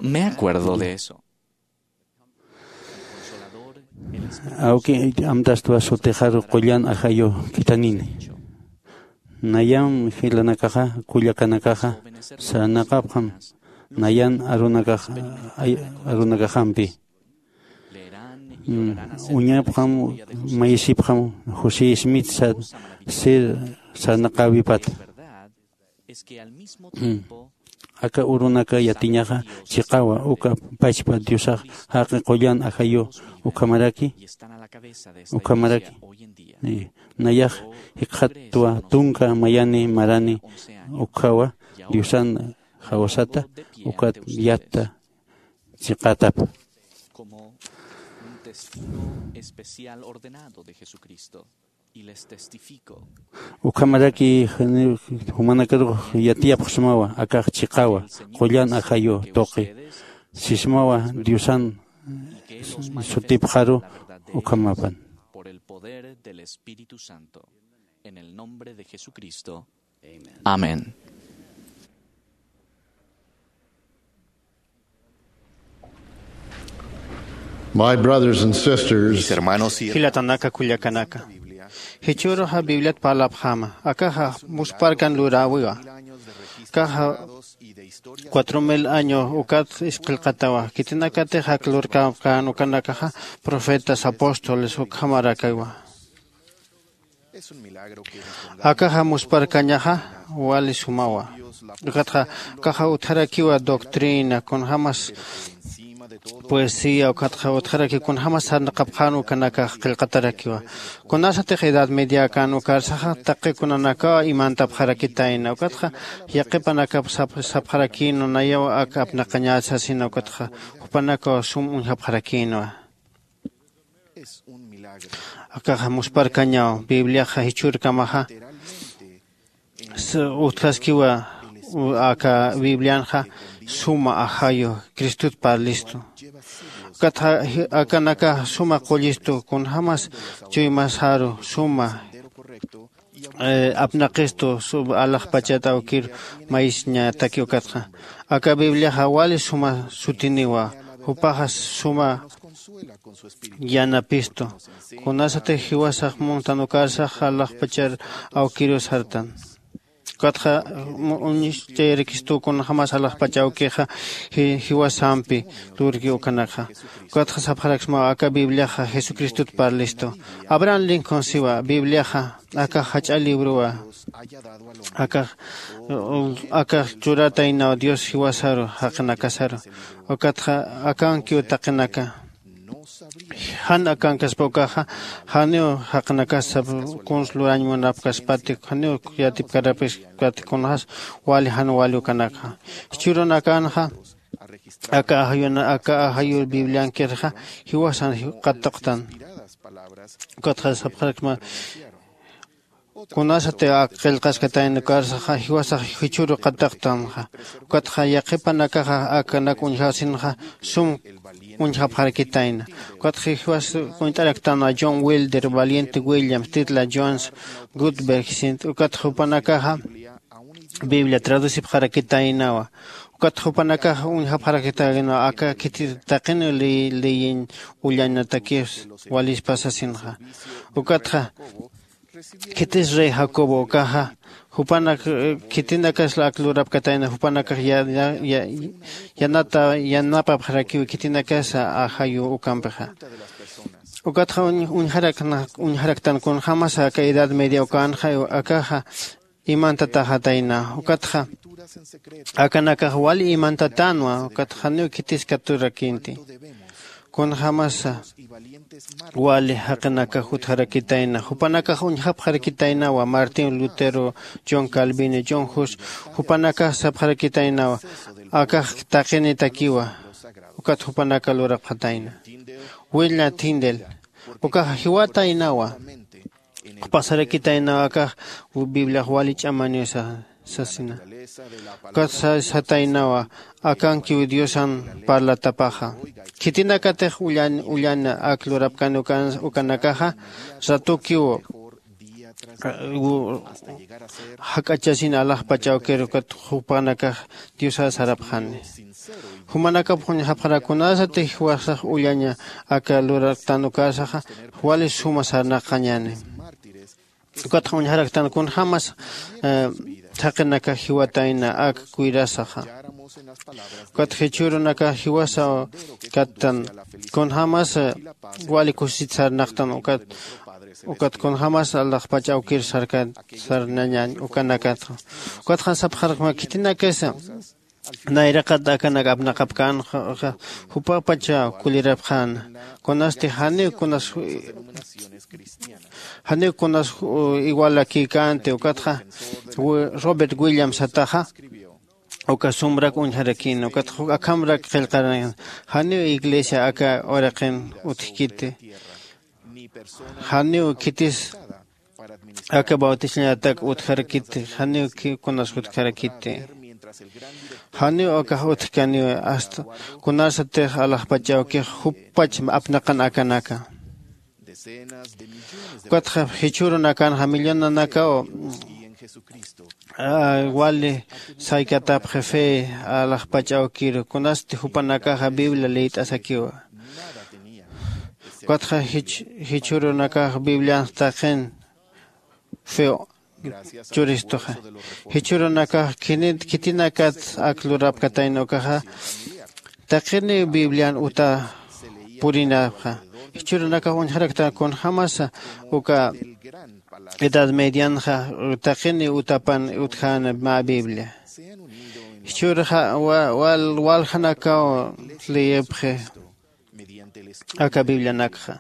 me acuerdo de eso". Awki amtastwa sutixaru qullan ajayu khitanini. Nayam jilanakaxa kullakanakaxa sarnaqapxam nayan arunakaxampi. Uñapxam mayisipxam josé smith sir sarnaqäwipata. Aka urunaka yatiñaxa chiqawa uka pachpa diosax jaqi qullan ajayu ukhamaraki ukhamaraki nayax jikxatwa tunka mayani marani ukhawa diosan jawasata ukat yatta chiqatapa. Como un testigo especial ordenado de Jesucristo, y les testifico. Ukhamaraki jumanakarux yatiyapxsmawa akax chiqawa qullan ajayu tuqi sismawa diosan sutipxaru ukhamapan. Por el poder del Espíritu Santo, en el nombre de Jesucristo. Amén. My brothers and sisters, mis hermanos y jilatanaka kullakanaka, jichhüruxa bibliat parlapxäma akaxa muspharkan luräwiwa. Akaxa cuatro mil año ukat isqillqatawa khitinakatix ak lurkapkän ukanakaxa profetas apóstoles ukhamarakawa. Akaxa muspharkañaxa wali sumawa. Ukatxa akaxa utjarakiwa doctrina kunjämas poesía ukatxa utjarakiw kunjämas sarnaqapxän ukanakax qillqatarakiwa. Kunasatix edad mediakan ukarsaxa taqi kunanakaw imantapxarakitayna ukatxa yaqipanakap sapxarakïnwa nayaw ak apnaqañäsasina ukatxa jupanakaw sum uñjapxarakïnwa. Akaxa muspharkañaw bibliaxa jichhürkamaxa utjaskiwa. Aka biblianxa suma ajayu cristut parlistu. Ukatxa akanakax suma qullistu kunjämas chuymasaru suma apnaqistu alaxpachat awkir mayisñataki ukatxa. Aka bibliaxa wali suma sutiniwa. Jupaxa suma yanapistu. Kunasatix jiwasax muntan ukarsax alaxpachar awkiru sartan. Ukatxa uñchayarakistu kunjämas alaxpach awkixa jiwasampi lurki ukanakxa. Ukatxa sapxaraksmaw aka bibliaxa jesucristot parlistu. Abraham lincoln siwa bibliaxa akax jach'a librowa. Akax akax churataynaw dios jiwasaru jaqinakasaru. Ukatxa akankiw taqinaka jan akankaspa ukaxa janiw jaqinakasa kuns lurañ munapkaspati janiw yatipkarapiskati kunxas wali jan wali ukanakxa. Jichhürunakanxa aka ajayuna aka ajayur bibliankirxa jiwasan qatuqtan. Ukatxa sapxarakma kunasati ak qillqaskatayna ukarsaxa jiwasax jichhüru qatuqtanxa. Ukatxa yaqhipanakaxa akanak uñjasinxa sum uñjapxarakitayna. Ukatxa jiwas uñt'araktanwa john wilder valiente williams titla jones gutberg sint ukatxa jupanakaxa biblia traducipxarakitaynawa. Ukatxa jupanakaxa uñjapxarakitaynawa aka khitir taqiniw leyiñ ullañatakiws walispa sasinxa. Ukatxa khitis rey jacobo ukaxa jupanak khitinakasla ak lurapkatayna jupanakax yanata yanapapxarakiw khitinakasa ajayu ukampixa. Ukatxa uñjaraktan kunjämasa aka edad media ukanxa akaxa imantataxatayna. Ukatxa akanakax wali imantatänwa ukatxa janiw khitis katurakinti. Kunjämasa wali jaqinakax utjarakitayna jupanakax uñjapxarakitaynawa martin lutero john calvino john hus jupanakax sapxarakitaynawa akax taqinitakiwa. Ukat jupanaka lurapxatayna. Wilna tindel ukax jiwataynawa. Qhupasarakitaynaw akax bibliax wali ch'amaniw sasina. Ukat sataynawa akankiw diosan parlatapaxa. Khitinakatix ullana ak lurapkani ukanakaxa ratukiw jak'achasina alaxpach awkir ukat jupanakax diosar sarapxani. Jumanakap uñjapxarak kunasatix jiwasax ullaña aka luraktan ukarsaxa wali suma sarnaqañäni. Ukatxa uñjaraktan kunjämas thaqinakax jiwatayna ak cuidasaxa. Ukat jichhürunakax jiwasaw kattan kunjämas wali kusit sarnaqtan ukat ukat kunjämas alaxpach awkir sarkat sarnañañ ukanakatxa. Ukatxa sapxarakma khitinakasa nayraqat akanak apnaqapkänxa jupapacha kulirapxäna. Kunasti janiw kunas janiw kunas igualakïkänti ukatxa robert williams sataxa uka sumrak uñjarakïna ukatxa akhamrak qillqarakïna. Janiw iglesia aka uraqin utjkiti janiw khitis aka bautizañatak utjarakiti janiw kunas utjarakiti. Janiw akax utjkaniw asta kunasatix alaxpach awkix juppach apnaqan akanaka. Ukatxa jichhürunakanxa millonanakaw wali saykatapxi fe alaxpach awkiru kunasti jupanakaxa biblia liyt'asakiwa. Ukatxa jichhürunakax biblianx taqin feo churistuxa. Jichhürunakax khitinakat ak lurapkatayna ukaxa taqiniw biblian uta purinapxa. Jichhürunakax uñjaraktan kunjämasa uka edad medianxa taqiniw utapan utjäna mä biblia. Jichhürxa waljanakaw liyipxi aka biblianakxa.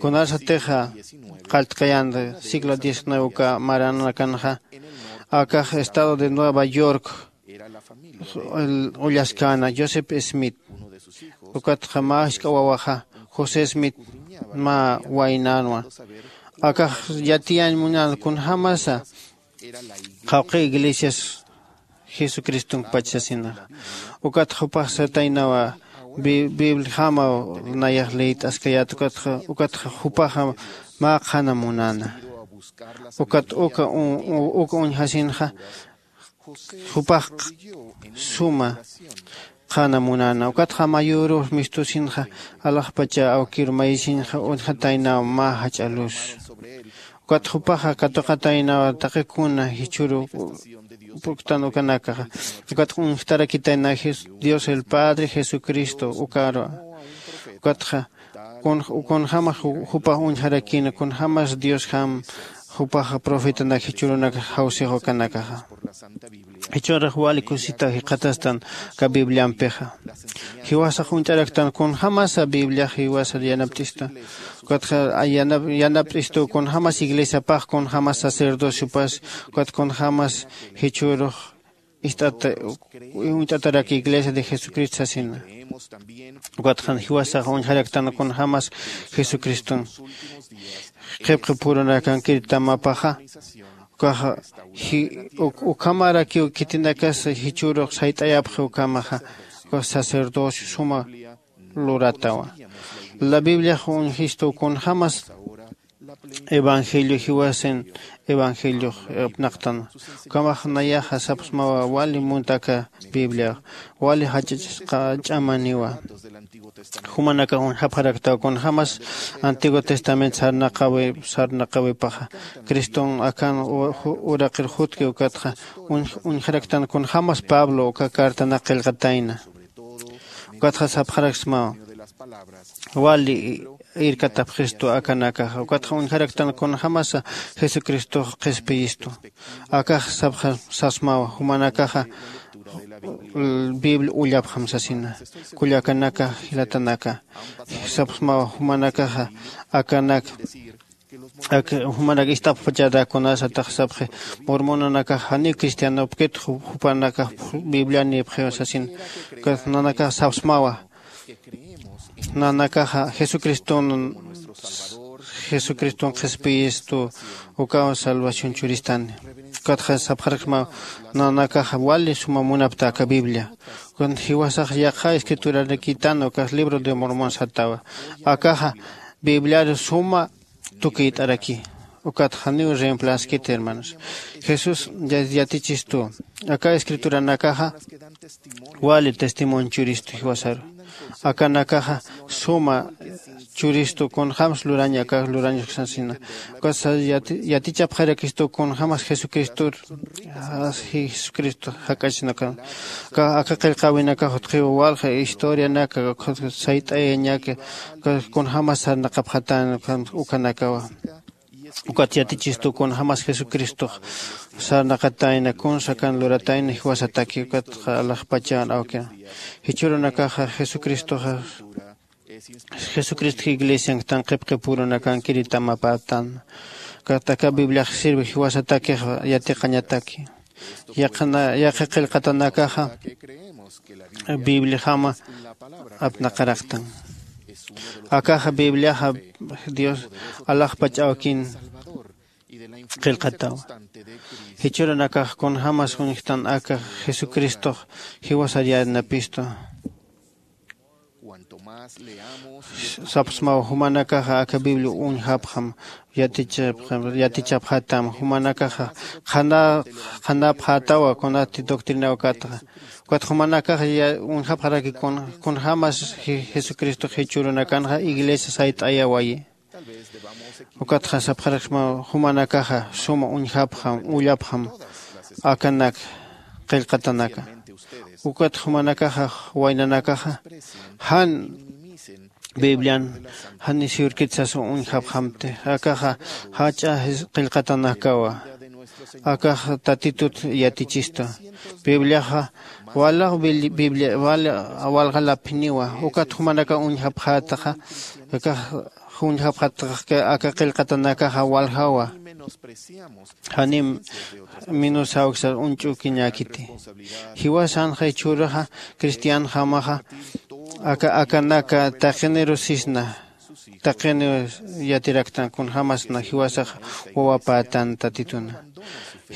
Kunasatixa qalltkayan siglo diecinueve uka maranakanxa akax estado de nueva york ullaskäna joseph smith ukatxa mä jisk'a wawaxa josé smith mä waynänwa. Akax yatiyañ munan kunjämasa qhawqi iglesias jesucristonkpach sasinaxa. Ukat jupax sataynawa bibliajamaw nayax liyt'askayät ukatxa jupaxa mä qhana munäna. Ukat uka uñjasinxa jupax suma qhana munana. Ukatxa mayürux mistusinxa alaxpacha awkir mayisinxa uñjataynaw mä jach'a luz. Ukat jupaxa katuqataynaw taqikuna jichhüru puktan ukanakaxa. Ukat uñjtarakitayna Jes- Dios el Padre Jesucristo ukaru. Ukatxa kun- kunjämas ju- jupax uñjarakïna, kunjämas Diosjam jupax profetanak jichhürunak jawsix ukanakaxa. Jichhürux wali kusita jikxatastan aka Bibliampixa. Jiwasax uñt'araktan kunjämasa Bibliax jiwasar yanapt'istu. Ukatxa yanap- yanapt'istu kunjämas iglesiapax, kunjämas sacerdociopas, ukat kunjämas jichhürux ist'ata uñt'atarak Iglesia de Jesucristo sasina. Ukatxa jiwasax uñjaraktan kunjämas Jesucriston qhipqi purunakankir tamapaxa. Ukaxa ji- uk- ukhamarakiw khitinakas jichhürux sayt'ayapxi ukhamaxa. Ukax sacerdocio suma luratawa. La Bibliax uñjistu kunjämas evangelio jiwasin evangeliox apnaqtan. Ukhamax nayaxa sapxsmawa wali muntaka Bibliax wali jach'achasqa ch'amaniwa. Jumanakax uñjapxaraktaw kunjämas Antiguo Testamento sarnaqawi sarnaqawipaxa Criston akan u- ju- uraqir jutki ukatxa uñ- uñjaraktan kunjämas Pablo uka cartanak qillqatayna. Ukatxa sapxaraksmaw wali irkatapxistu akanakaxa. Ukatxa uñjaraktan kunjämasa Jesucristox qhispiyistu. Akax sapxa- sapxsmawa jumanakaxa Biblia ullapxam sasina. Kullakanaka jilatanaka sapxsmawa jumanakaxa akanak ak- jumanak ist'apxpachata kunasatax sapxi mormonanakax janiw cristianopkit ju- jupanakax Biblia nipxiw sasin. Ukat nanakax sapxsmawa nanakaxa Jesucriston Jesucriston qhispiyistu ukaw salvación churistani. Ukatxa sapxaraksmaw nanakaxa wali suma munapta aka Biblia. Ukat jiwasax yaqha escriturarakitana ukax libro de Mormon satawa. Akaxa Bibliaru suma tukït'araki. Ukat janiw reemplaskiti hermanos. Jesús ya- yatichistu aka escrituranakaxa wali testimonio churistu jiwasaru. Akanakaxa suma churistu kunjämas lurañ aka lurañ sasina. Ukat sa- yati- yatichapxarakistu kunjämas Jesucristor Jesucristo jak'achinaka aka qillqäwinakax utjiw walja historianaka sayt'ayañaka kunjämas sarnaqapxatän ukanakawa. Ukat yatichistu kunjämas Jesucristox sarnaqatayna kunsa kan luratayna jiwasataki ukatxa alaxpachan awki. Jichhürunakaxa Jesucristoxa Jesucristo iglesianktan qhipqi purunakankiri tamapätan. Ukat aka Bibliax sirvi jiwasatakix yatiqañataki. Yaqha qillqatanakaxa Bibliajama apnaqaraktan. Akaxa Bibliaxa Dios alaxpach awkin qillqatawa. Jichhürunakax kunjämas uñjtan aka Jesucristox jiwasar yanapistu. Sapxsmaw jumanakaxa aka Biblia uñjapxam yatichapxam yatichapxatam jumanakaxa qhana qhanapxätawa kunati doctrina ukatxa. Ukat jumanakaxa uñjapxaraki kunjämas Jesucristo jichhürunakanxa iglesia sayt'ayawayi. Ukatxa sapxaraksmaw jumanakaxa suma uñjapxam ullapxam akanak qillqatanaka. Ukat jumanakaxa waynanakaxa jan biblian jan isiwirkit sasa uñjapxamti. Akaxa jach'a qillqatanakawa. Akax tatitut yatichista. Bibliaxa walax biblia wali walxalaphiniwa. Ukat jumanaka uñjapxätaxa akax uñjapxätaxa aka qillqatanakaxa waljawa. Janim minusawksa uñch'ukiñäkiti. Jiwasanxa jichhüruxa cristianjamaxa aka akanaka taqiniru sisna taqiniw yatiraktan kunjämasna jiwasax wawapätan tatituna.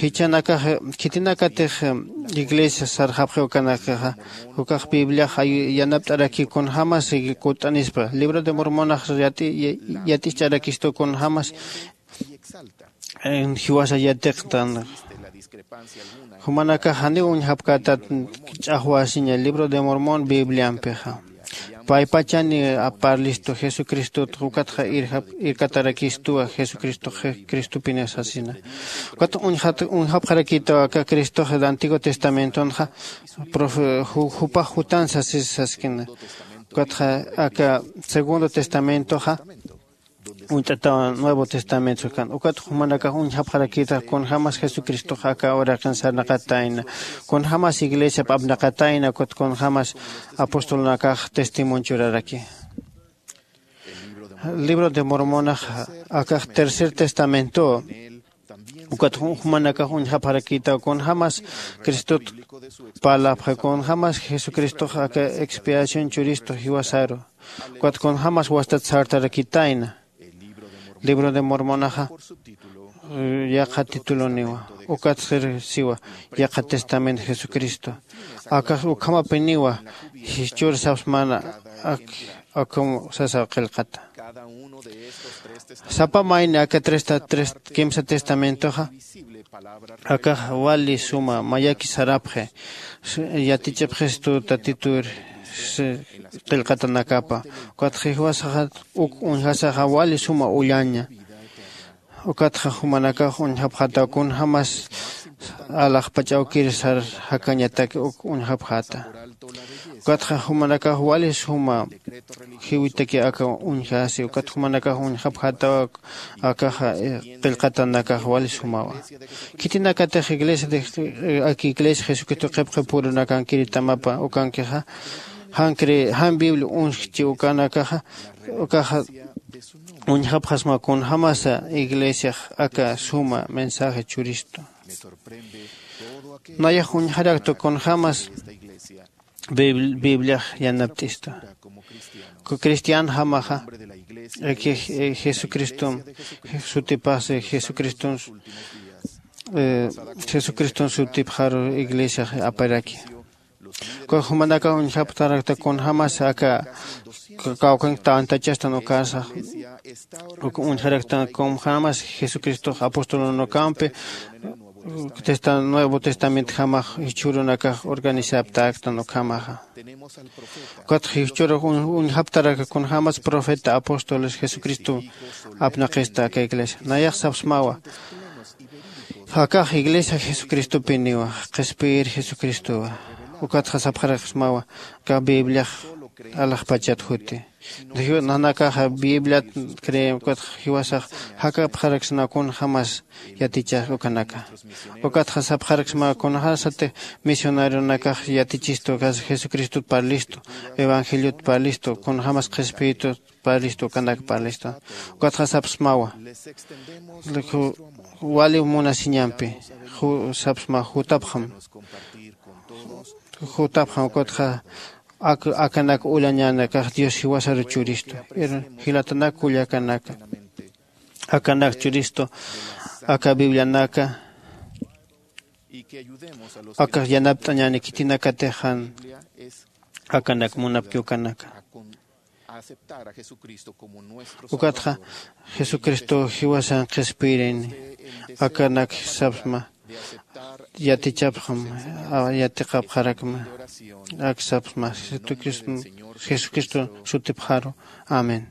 Jichanakax khitinakatix iglesia sarxapxi ukanakaxa ukax bibliax yanapt'araki kunjämas kutt'anispa libro de mormonax yat'icharakistu kunjämas jiwasa yatiqtan. Jumanakax janiw uñjapkätat ch'axwasiña libro de Mormón Bibliampixa. Paypachani aparlistu Jesucristut, ukatxa irjap-, irkatarakistuwa Jesucristo, Je-, Cristopini sasina. Ukat uñjat-, uñjapxarakitawa aka Cristoxa el Antiguo Testamentonxa, profe-, ju-, jupax jutan sasis saskina. Ukatxa aka Segundo Testamentoxa, uñt'atawa Nuevo Testamento kan. Ukat jumanakax uñjapxarakita kunjämas Jesucristox aka uraqin sarnaqatayna, kunjämas iglesiap apnaqatayna, ukat kunjämas apostolnakax testimonio churaraki. Libro de Mormonax akax Tercer Testamento. Ukat ju-, jumanakax uñjapxarakita kunjämas Cristot parlapxa, kunjämas Jesucristox aka expiación churistu jiwasaru. Ukat kunjämas wastat sartarakitayna. Libro de Mormonaxa, eh, yaqha tituloniwa. Ukat sir siwa, yaqha testamento Jesucristo. Akax ukhamapiniwa, jichhür sapsmana, ak-, akum sasa qillqata. Sapa mayni aka tres ta-, tres kimsa testamentoxa, akax wali suma mayaki sarapxi, s-, yatichapxistu Tatitur, s-, qillqatanakapa. Ukat jiwasaxa uk uñjasaxa wali suma ullaña. Ukatxa jumanakax uñjapxata kunjämas alaxpach awkir sar jakañatak uk uñjapxata. Ukatxa jumanakax wali suma jiwitaki aka uñjasi, ukat jumanakax uñjapxata akaxa, eh, qillqatanakax wali sumawa. Khitinakatix iglesia de, eh, aka iglesia Jesucristo qhipqipurunakankiritamapa ukankixa, jan cre-, jan Biblia uñjchi ukanakaxa, ukaxa uñjapxasma kunjämasa iglesiax aka suma mensaje churistu. Nayax uñjarakta kunjämas Bib-, Bibliax yanapt'istu. Ku cristianjamaxa, eh, que, eh, Jesucristom, sutipax, eh, Jesucriston, eh, Jesucriston sutipxaru iglesiax aparaki. Uka jumanakax uñjapxarakta kunjämas aka ka-, kawkhank tantachastan ukasa, uka uñjarakta kunjämas Jesucristox apostolunakampi, testa-, Nuevo Testamentjamax jichhürunakax organizapxaraktan ukhamaxa. Ukat jichhürux uñ-, uñjapxarakta kunjämas profeta, apóstoles, Jesucristo apnaqista aka iglesia. Nayax sapsmawa. Akax iglesia Jesucristopiniwa, qhispiyir Jesucristowa. Ukatxa sapxaraksmawa, aka Bibliax alaxpachat juti. Nanakaxa Bibliat creen, ukatxa jiwasax jakapxaraksna kunjämas yatichax ukanaka. Ukatxa sapxaraksmawa kunjämasti misionarionakax yatichistu, ukas Jesucristot parlistu, evangeliot parlistu, kunjämas qhispiyitut parlistu, ukanak parlistu. Ukatxa sapsmawa. Ju-, wali munasiñampi, ju-, sapsma jutapxam. Jutapxam, ukatxa ak-, akanak ullañanakax Dios jiwasaru churistu. Ir jilatanak kullakanaka. Akanak churistu, aka Biblianaka, akax yanapt'añäni khitinakatix jan akanak munapki ukanaka. Ukatxa Jesucristo jiwasan qhispiyirini, akanak sapsma, yatichapxam, a, yatiqapxarakma, ak sapsma, Jesucristo, Jesucristo sutipxaru. Amén.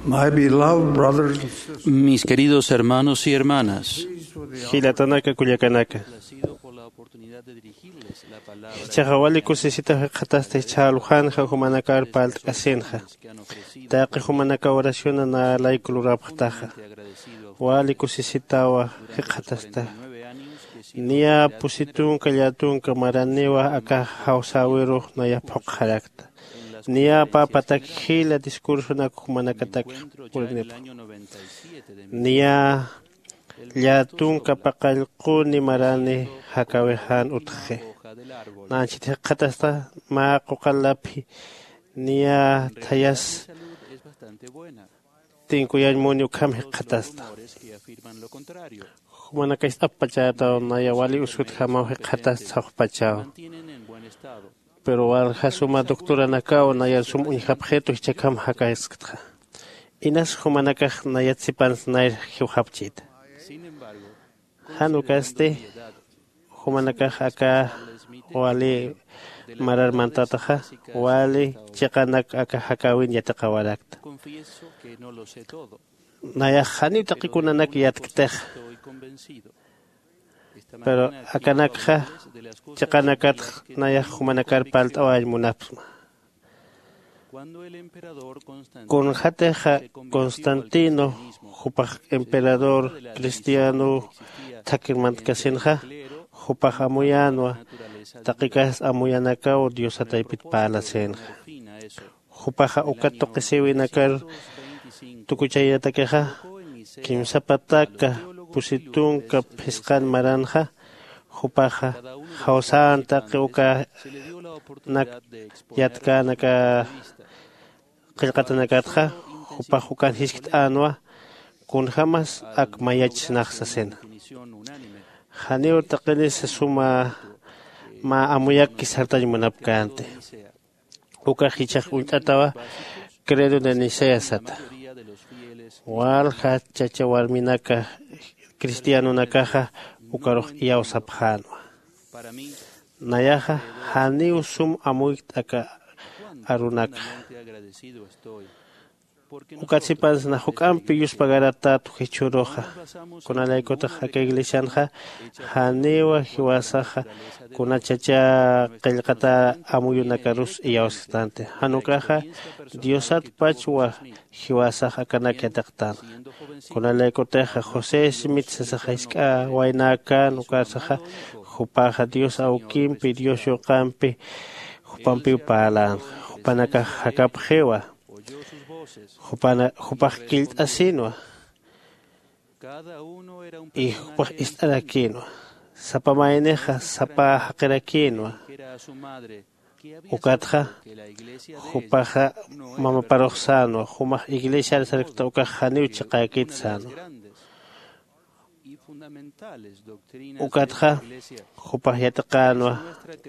My beloved brothers and sisters, mis queridos hermanos y hermanas, jilatanaka kullakanaka, ha sido por la oportunidad de dirigirles la palabra. Jichhaxa wali kusisita jikxatasta jichha aljunxa jumanakar parlt'kasinxa. Taqi jumanaka oraciona nalayku lurapxtaxa. Wali kusisitawa jikxatasta. Niya pusi tunka llätunka maraniwa aka jawsäwirux naya phuqxarakta. Niya pä patak jila discursonak jumanakatak purinipxi. Niya llätunka paqallquni marani jakäwixan utjxi. Nanchit jikxatasta mä quqallaphi niya thayas tinkuyañ muni ukham jikxatasta. Jumanaka ist'apxpachätaw naya wali usutjamaw jikxatasta sawjpachaw. Pero walja suma doctoranakaw nayar sum uñjapxitu jichhakham jakaskta. Inas jumanakax nayat sipansa nayr jiwxapchita. Jan ukasti jumanakax aka wali marar mantätaxa wali chiqanak aka jakäwin yatiqawarakta. Nayax janiw taqi kunanak yatktixa. Pero akanakxa chiqanakatx nayax jumanakar parlt'awañ munapxsma. Kunxatixa Constantino jupax emperador cristiano thakir mantkasinxa, jupax amuyänwa taqi kasta amuyanakaw Diosa taypit parlasinxa. Jupaxa uka tuqisïwinakar tukuchayatakixa kimsa pataka pusi tunka phisqan maranxa, jupaxa jawsän taqi ukanak yatkäna aka qillqatanakatxa, jupax ukan jiskt'änwa kunjämas ak mayachsnax sasina. Janiw taqinisa suma mä amuyakki sartañ munapkänti. Ukax jichhax uñt'atawa Credo de Nicea sata. Walja chacha warminaka cristianonakaxa ukarux iyawsapxänwa. Nayaxa janiw sum amuykt aka arunakxa. Ukat sipansa na juk'ampi yuspagaratätwa jichhüruxa. Kunalaykutix aka iglesianxa janiwa jiwasaxa kuna chacha qillqata amuyunakarus iyawsktanti. Jan ukaxa Diosatpachwa jiwasax akanak yatiqtänxa. Kunalaykutixa José Smith sasaxa jisk'a waynäkän ukarsaxa, jupaxa Dios awkimpi, Dios yuqampi jupampiw parlana. Jupanakax jakapxiwa. Jupana jupax killt'asinwa. Y jupax ist'arakïnwa. Sapa maynixa sapa jaqirakïnwa. Ukatxa jupaxa mamaparux sänwa, jumax iglesiar sarkta ukax janiw chiqäkit sänwa. Ukatxa jupax yatiqänwa,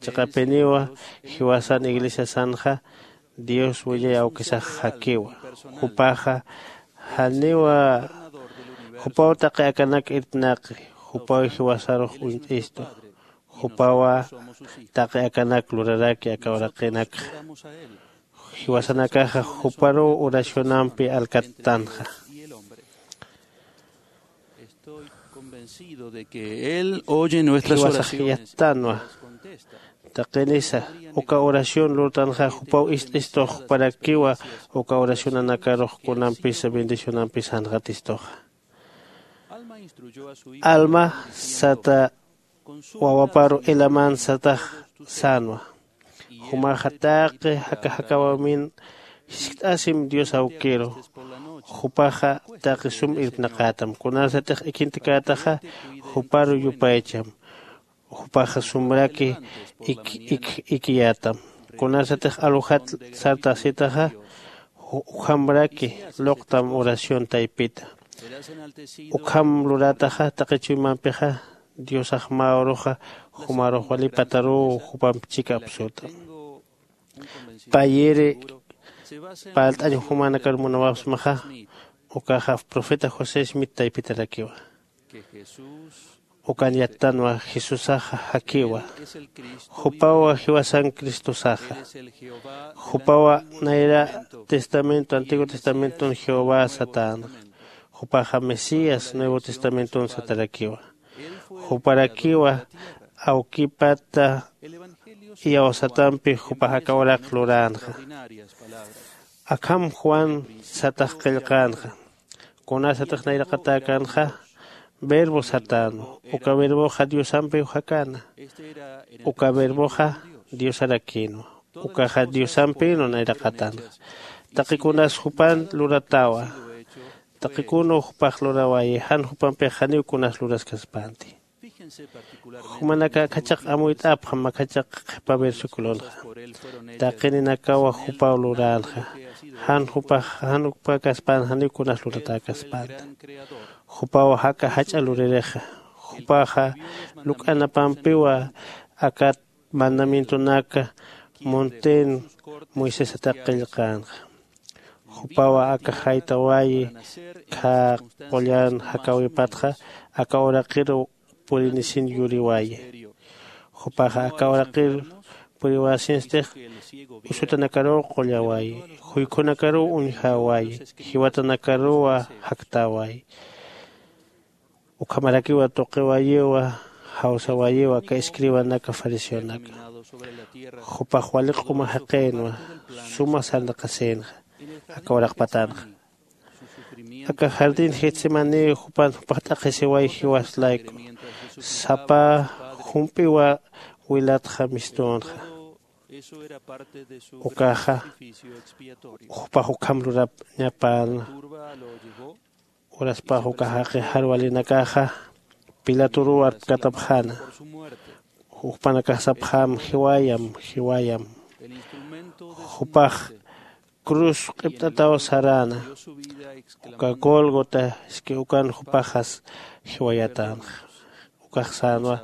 chiqapiniwa jiwasan iglesiasanxa Dios wiñay awkisax jakiwa. Jupaxa janiwa jupaw taqi akanak irpnaqi, jupaw jiwasarux uñt'istu. Jupawa taqi akanak luraraki aka uraqinakxa. Jiwasanakaxa juparuw oracionampi alkattanxa. Jiwasax yattanwa. Taqinisa uka oración lurtanxa jupaw ist'istux juparakiwa uka oracionanakarux kunampisa bendicionampisa janxatistuxa. Alma sata wawaparu Helaman satax sänwa. Jumaxa taqi jaka jakäwimin jiskt'asim Dios awkiru. Jupaxa taqi sum irpnaqätam. Kunarsatix ikhintkätaxa juparu yupaycham. Jupaxa sumraki ik ik ikiyätam. Kunarsatix alujat sartasitaxa ju- ujamraki luqtam oración taypita. Ukham lurätaxa taqi chuymampixa Diosax mä uruxa jumarux wali pataruw jupamp chika apsutam. Payiri parlt'añ jumanakar munawapxsmaxa, ukaxa profeta José Smith taypitarakiwa. Ukan yattanwa jesusaxa jakiwa. Jupawa jiwasan cristosaxa. Jupawa nayra testamento antiguo testamenton jehová satänxa. Jupaxa mesías nuevo testamenton satarakiwa. Juparakiwa awkipata iyawsatampi jupax aka uraq luränxa. Akham juan satax qillqänxa. Kunasatix nayraqatäkänxa verbo satänwa. Uka verboxa diosampiw jakäna. Uka verboxa diosarakïnwa. Ukaxa diosampïnwa nayraqatänxa. Taqi kunas jupan luratäwa. Taqi kunaw jupax lurawayi jan jupampix janiw kunas luraskaspänti. Jumanaka akhachaq amuyt'apxam akhachaq qhipa versiculonxa. Taqininakawa jupaw luränxa. Jan jupax jan jupakaspän janiw kunas luratäkaspänta. Jupaw jaka jach'a luririxa. Jupaxa luk'anapampiwa akat mandamientonaka monten moisesatax qillqänxa. Jupawa aka jaytawayi khä qullan jakäwipatxa aka uraqiru purinisin yuriwayi. Jupaxa aka uraqir puriwasistix usutanakarux qullawayi. Juykhunakaruw uñjawayi. Jiwatanakaruwa jaktäwayi. Ukhamarakiwa tuqiwayiwa jawsawayiwa aka escribanaka fariseonaka. Jupax wali q'uma jaqïnwa suma sarnaqasïnxa aka uraq patanxa. Aka jardín getsemani jupan jupax t'aqhisiway jiwas layku sapa jump'iwa wilatxa mistünxa. Ukaxa jupax ukham lurapñapäna. Uraspax uka jaqi jarwalinakaxa pilaturuw arpkatapxäna. Jupanakax sapxäm jiwayam jiwayam. Jupax cruz q'ipt'ataw saräna. Uka gólgota iski ukan jupaxas jiwayatänxa. Ukax sänwa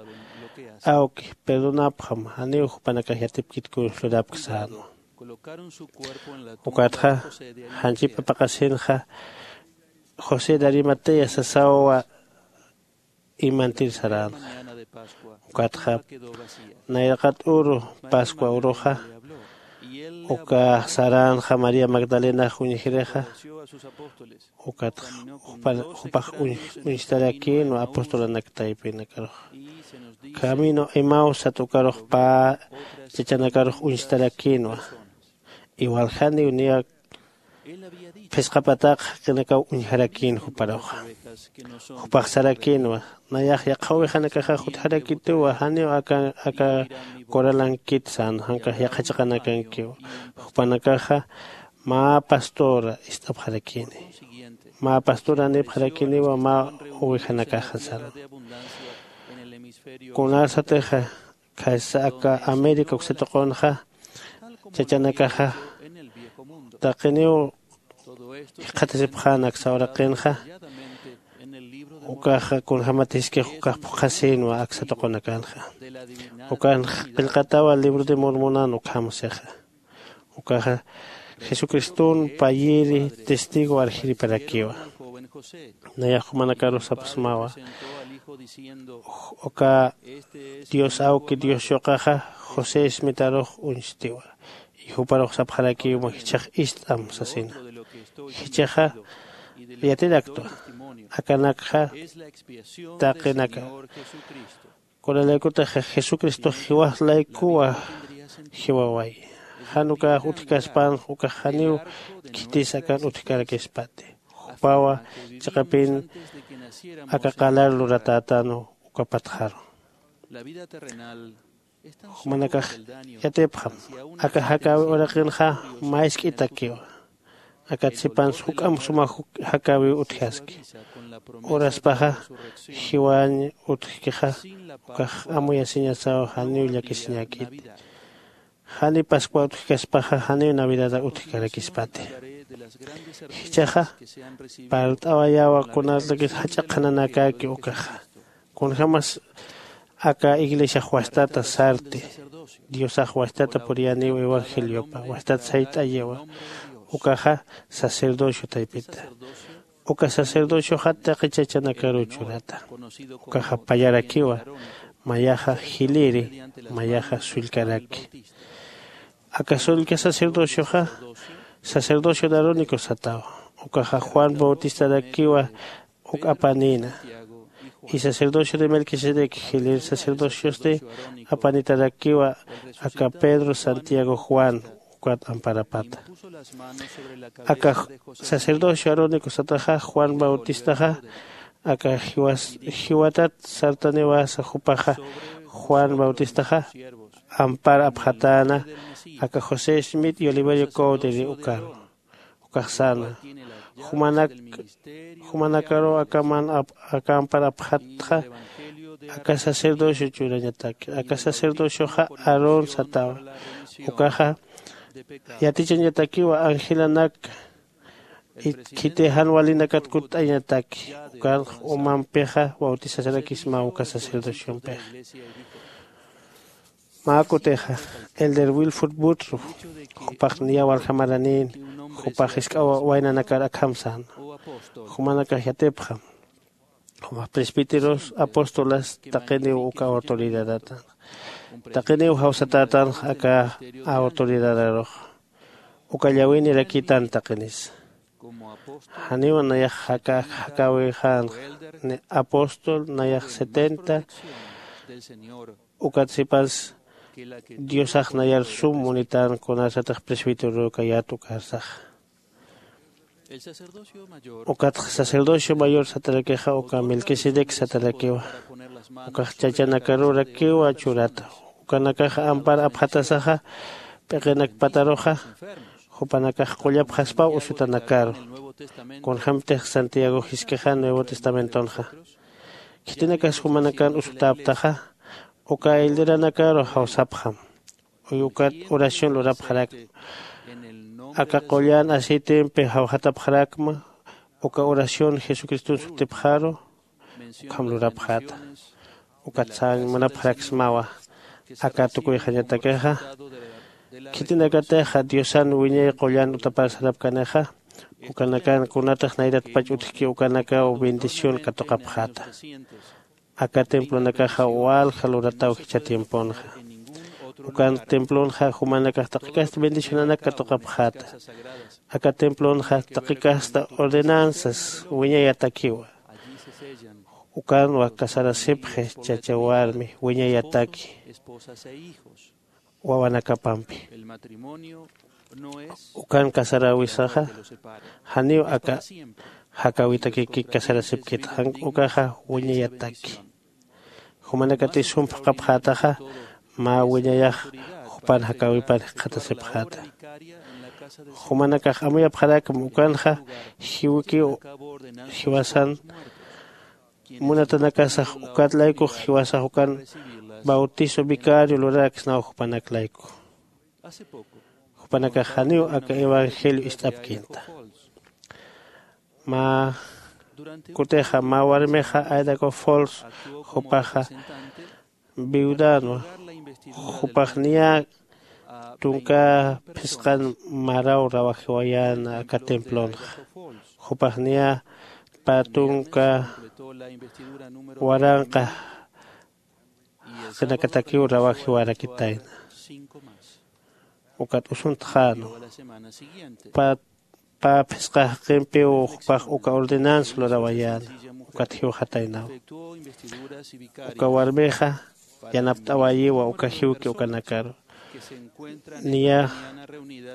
awki perdonapxam janiw jupanakax yatipkit kunslurapki sänwa. Ukatxa janchip apaqasinxa josé de arimatea sasawa imantir saränxa. Ukatxa nayraqat uru pascua uruxa ukax saränxa maría magdalenax uñjirixa. Ukatxa jupax uñstarakïnwa apostolanak taypinakarux camino emausat ukarux pä chachanakarux uñstarakïnwa. Iwaljaniw niya phisqa pataqa jaqinakaw uñjarakïn juparuxa. Jupax sarakïnwa nayax yaqha ovejanakaxax utjarakituwa janiw aka aka coralankit sän jankax yaqha chiqanakankiw. Jupanakaxa mä pastora ist'apxarakini. Mä pastora nipxarakiniwa mä ovejanakaxa sän. Kunasatixa khaysa aka américa uksa tuqunxa chachanakaxa taqiniw jikxatasipxän aksa uraqinxa. Ukaxa kunjämatiskix ukax phuqhasïnwa aksa tuqunakanxa. Ukan qillqatawa libro de mormonan ukham sixa. Ukaxa jesucriston payiri testigo arjiriparakiwa. Nayax jumanakarus sapxsmawa uka dios awki dios yuqaxa josé ismitarux uñstiwa. Juparux sapxarakiw mä jichhax ist'am sasina. Jichhaxa yatiraktwa akanakxa taqinaka. Kunalaykutaxa jesucristox jiwax laykuwa jiwawayi. Jan ukax utjkaspänx ukax janiw khitis akan utjkarakispati. Jupawa chiqapin aka qalar luratätänwa uka patxaru. Jumanakax yatipxam aka jakäwi uraqinxa mä isk'itakiwa. Akat sipans juk'amp suma jakäwiw utjaski. Uraspaxa jiwañ utjkixa ukax amuyasiñasaw janiw llakisiñäkiti. Jani pascua utjkaspaxa janiw navidada utjkarakispati. Jichhaxa parlt'awayäwa kunalatakis jach'a qhananakäki ukaxa. Kunjämas aka iglesiax wastata sarti diosax wastata puriyäniw evangeliopa wastat sayt'ayiwa. Ukaxa sacerdocio taypita. Uka sacerdocioxa taqi chachanakaruw churata. Ukaxa pallarakiwa, mayaxa jiliri, mayaxa sullkaraki. Aka sullka sacerdocioxa sacerdocio de arónico satawa. Ukaxa juan bautistarakiwa uk apanïna. Y sacerdocio de melquisedec jilir sacerdociosti apanitarakiwa aka pedro santiago juan ukat amparapata. Aka sacerdocio arónico sataxa juan bautistaxa aka jiwatat sartaniwasa jupaxa juan bautistaxa ampar apxatäna aka josé smith y oliverio cowdery ukaru. Ukax säna jumanakaru aka ampar apxatxa aka sacerdocio churañataki aka sacerdocioxa aarón satawa. Ukaxa yatichañatakiwa angelanak khiti jan walinakat kutt'añataki. Ukanx umampixa bautizasarakismaw uka sacerdociompixa. Mä kutixa elder wilford butru jupax niya walja maranïn jupax jisk'a waynanakar akham säna. Jumanakax yatipxam jumax presbíteros apóstolas taqiniw uka autoridadatänxa. Taqiniw jawsatätanxa aka autoridadaruxa uka llawinirakitan taqinisa. Janiw nayax jakäwixänxa ni apóstol nayax setenta. Ukat sipas diosax nayar sum munitän kunasatix presbíterorukayät ukarsaxa. Ukatxa sacerdocio mayor satarakixa uka melquisedec satarakiwa. Ukax chachanakarurakiwa churata. Ukanakaxa ampar apxatasaxa p'iqinakpataruxa jupanakax qullapxaspaw usutanakaru. Kunjämtix santiago jisk'ixa nuevo testamentonxa khitinakas jumanakan usutäptaxa uka elderanakaru jawsapxam. Uy ukat oración lurapxarakma aka qullan aceitempi jawjatapxarakma. Uka oración jesucriston sutipxaru ukham lurapxäta. Ukat sañ munapxaraksmawa aka tukuyxañatakixa khitinakatixa diosan wiñay qullan utapar sarapkanixa ukanakan kunatix nayratpach utjki ukanakaw bendición katuqapxäta. Aka templonakaxa walja lurataw jichha tiemponxa. Ukan templonxa jumanakax taqikasta bendicionanak katuqapxäta. Aka templonxa taqikasta ordenanzas wiñayatakiwa. Ukanwa casarasipxi chacha warmi wiñayataki wawanakapampi. Ukan casaräwisaxa janiw aka jakäwitakiki casarasipkit jan ukaxa wiñayataki. Jumanakatix sum phuqhapxätaxa mä wiñayax jupan jakäwipan jikxatasipxäta. Jumanakax amuyapxarakma ukanxa jiwkiw jiwasan munatanakasax ukat laykux jiwasax ukan bautizo vicario luraraksnaw jupanak layku. Jupanakax janiw aka evangelio ist'apkinta. Mä kutixa mä warmixa aidaco fols jupaxa viudanwa. Jupax niya tunka phisqan maraw rawajiwayäna aka templonxa. Jupax niya pä tunka waranqa jaqinakatakiw rawajiwarakitayna. Ukat usuntxänwa pä phisqa jaqimpiw jupax uka ordenanza lurawayäna. Ukat jiwxataynawa uka warmixa yanapt'awayiwa uka jiwki ukanakaru. Niya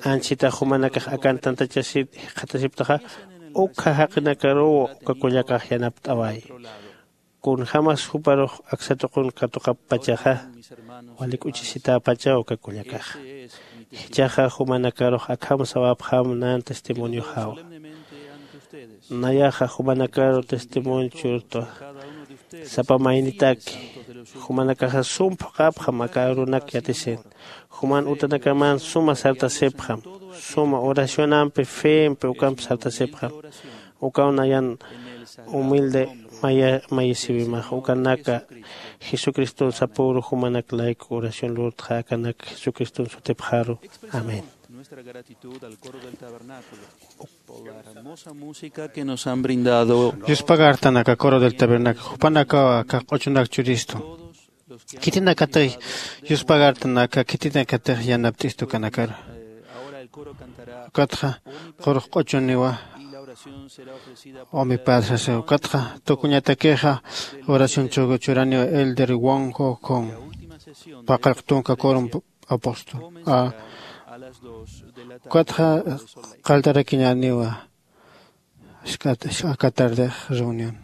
anchhitax jumanakax akan tantachasir jikxatasiptaxa ukxa jaqinakaruw uka kullakax yanapt'awayi. Kunjämas juparux aksa tuqun katuqappachaxa wali k'uchisitäpachaw uka kullakaxa. Jichhaxa jumanakarux akham sawapxam nan testimonioxawa. Nayaxa jumanakaru testimonio churtwa sapa maynitaki. Jumanakaxa sum phuqhapxam aka arunak yatisin. Juman utanakaman suma sartasipxam suma oracionampi fempi ukampi sartasipxam. Ukaw nayan humilde mayisiwimax ukanaka jesucriston sapüru jumanak layku oración lurtxa akanak jesucriston sutipxaru. Amén. Nuestra gratitud al coro del tabernáculo por la hermosa música que nos han brindado. Yuspagartanaka coro del tabernáculo, jupanakawa aka q'uchunak churistu. Khitinakatix yuspagartanaka, khitinakatix yanapt'istu kanakar. Ukatxa qurux q'uchuniwa umiparsasa. Ukatxa tukuñatakixa oración churaniwa elder Wong Ho Kong, paqallq tunka coro apóstol. A, ukatxa qalltarakiñäniwa aka tardix reunión.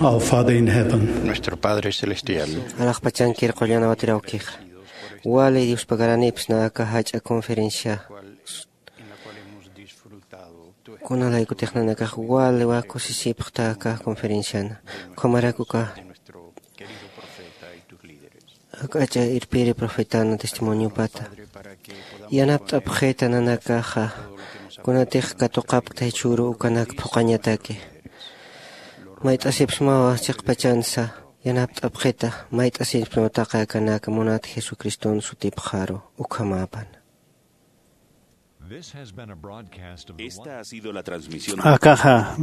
Our Father in heaven. Nuestro Padre Celestial. Alaxpachankir qullan awatirawkixa. Wali Diospagaranips naka jach'a conferencia kunalaykutixnanakax wali wakusisipxta aka conferenciana. Ukhamarakuka ak'ach'a irpiri profetana testimoniopata yanapt'apxita nanakaxa kunatix katuqapkta jichhüru ukanak phuqañataki. Mayt'asipsmawa chiqpachansa yanapt'apxita mayt'asipsmawataqa akanaka munat jesucriston sutipxaru. Ukhamäpan. Esta ha sido la transmisión. Akaxa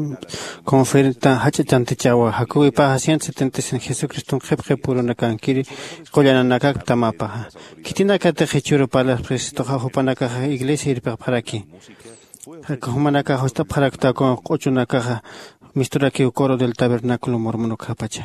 conferta jach'a chantichawa jakuwipaxa ciento setenta y cinco jesucriston qhipqipurunakankiri qullananakakta mapaxa. Khitinakatix jichhüru parlapxisituxa jupanakaxa iglesia irpiqpxaraki. Jumanakaxa just'apxarakta kun q'uchunakaxa misturakiw coro del tabernáculo mormon ukhapacha.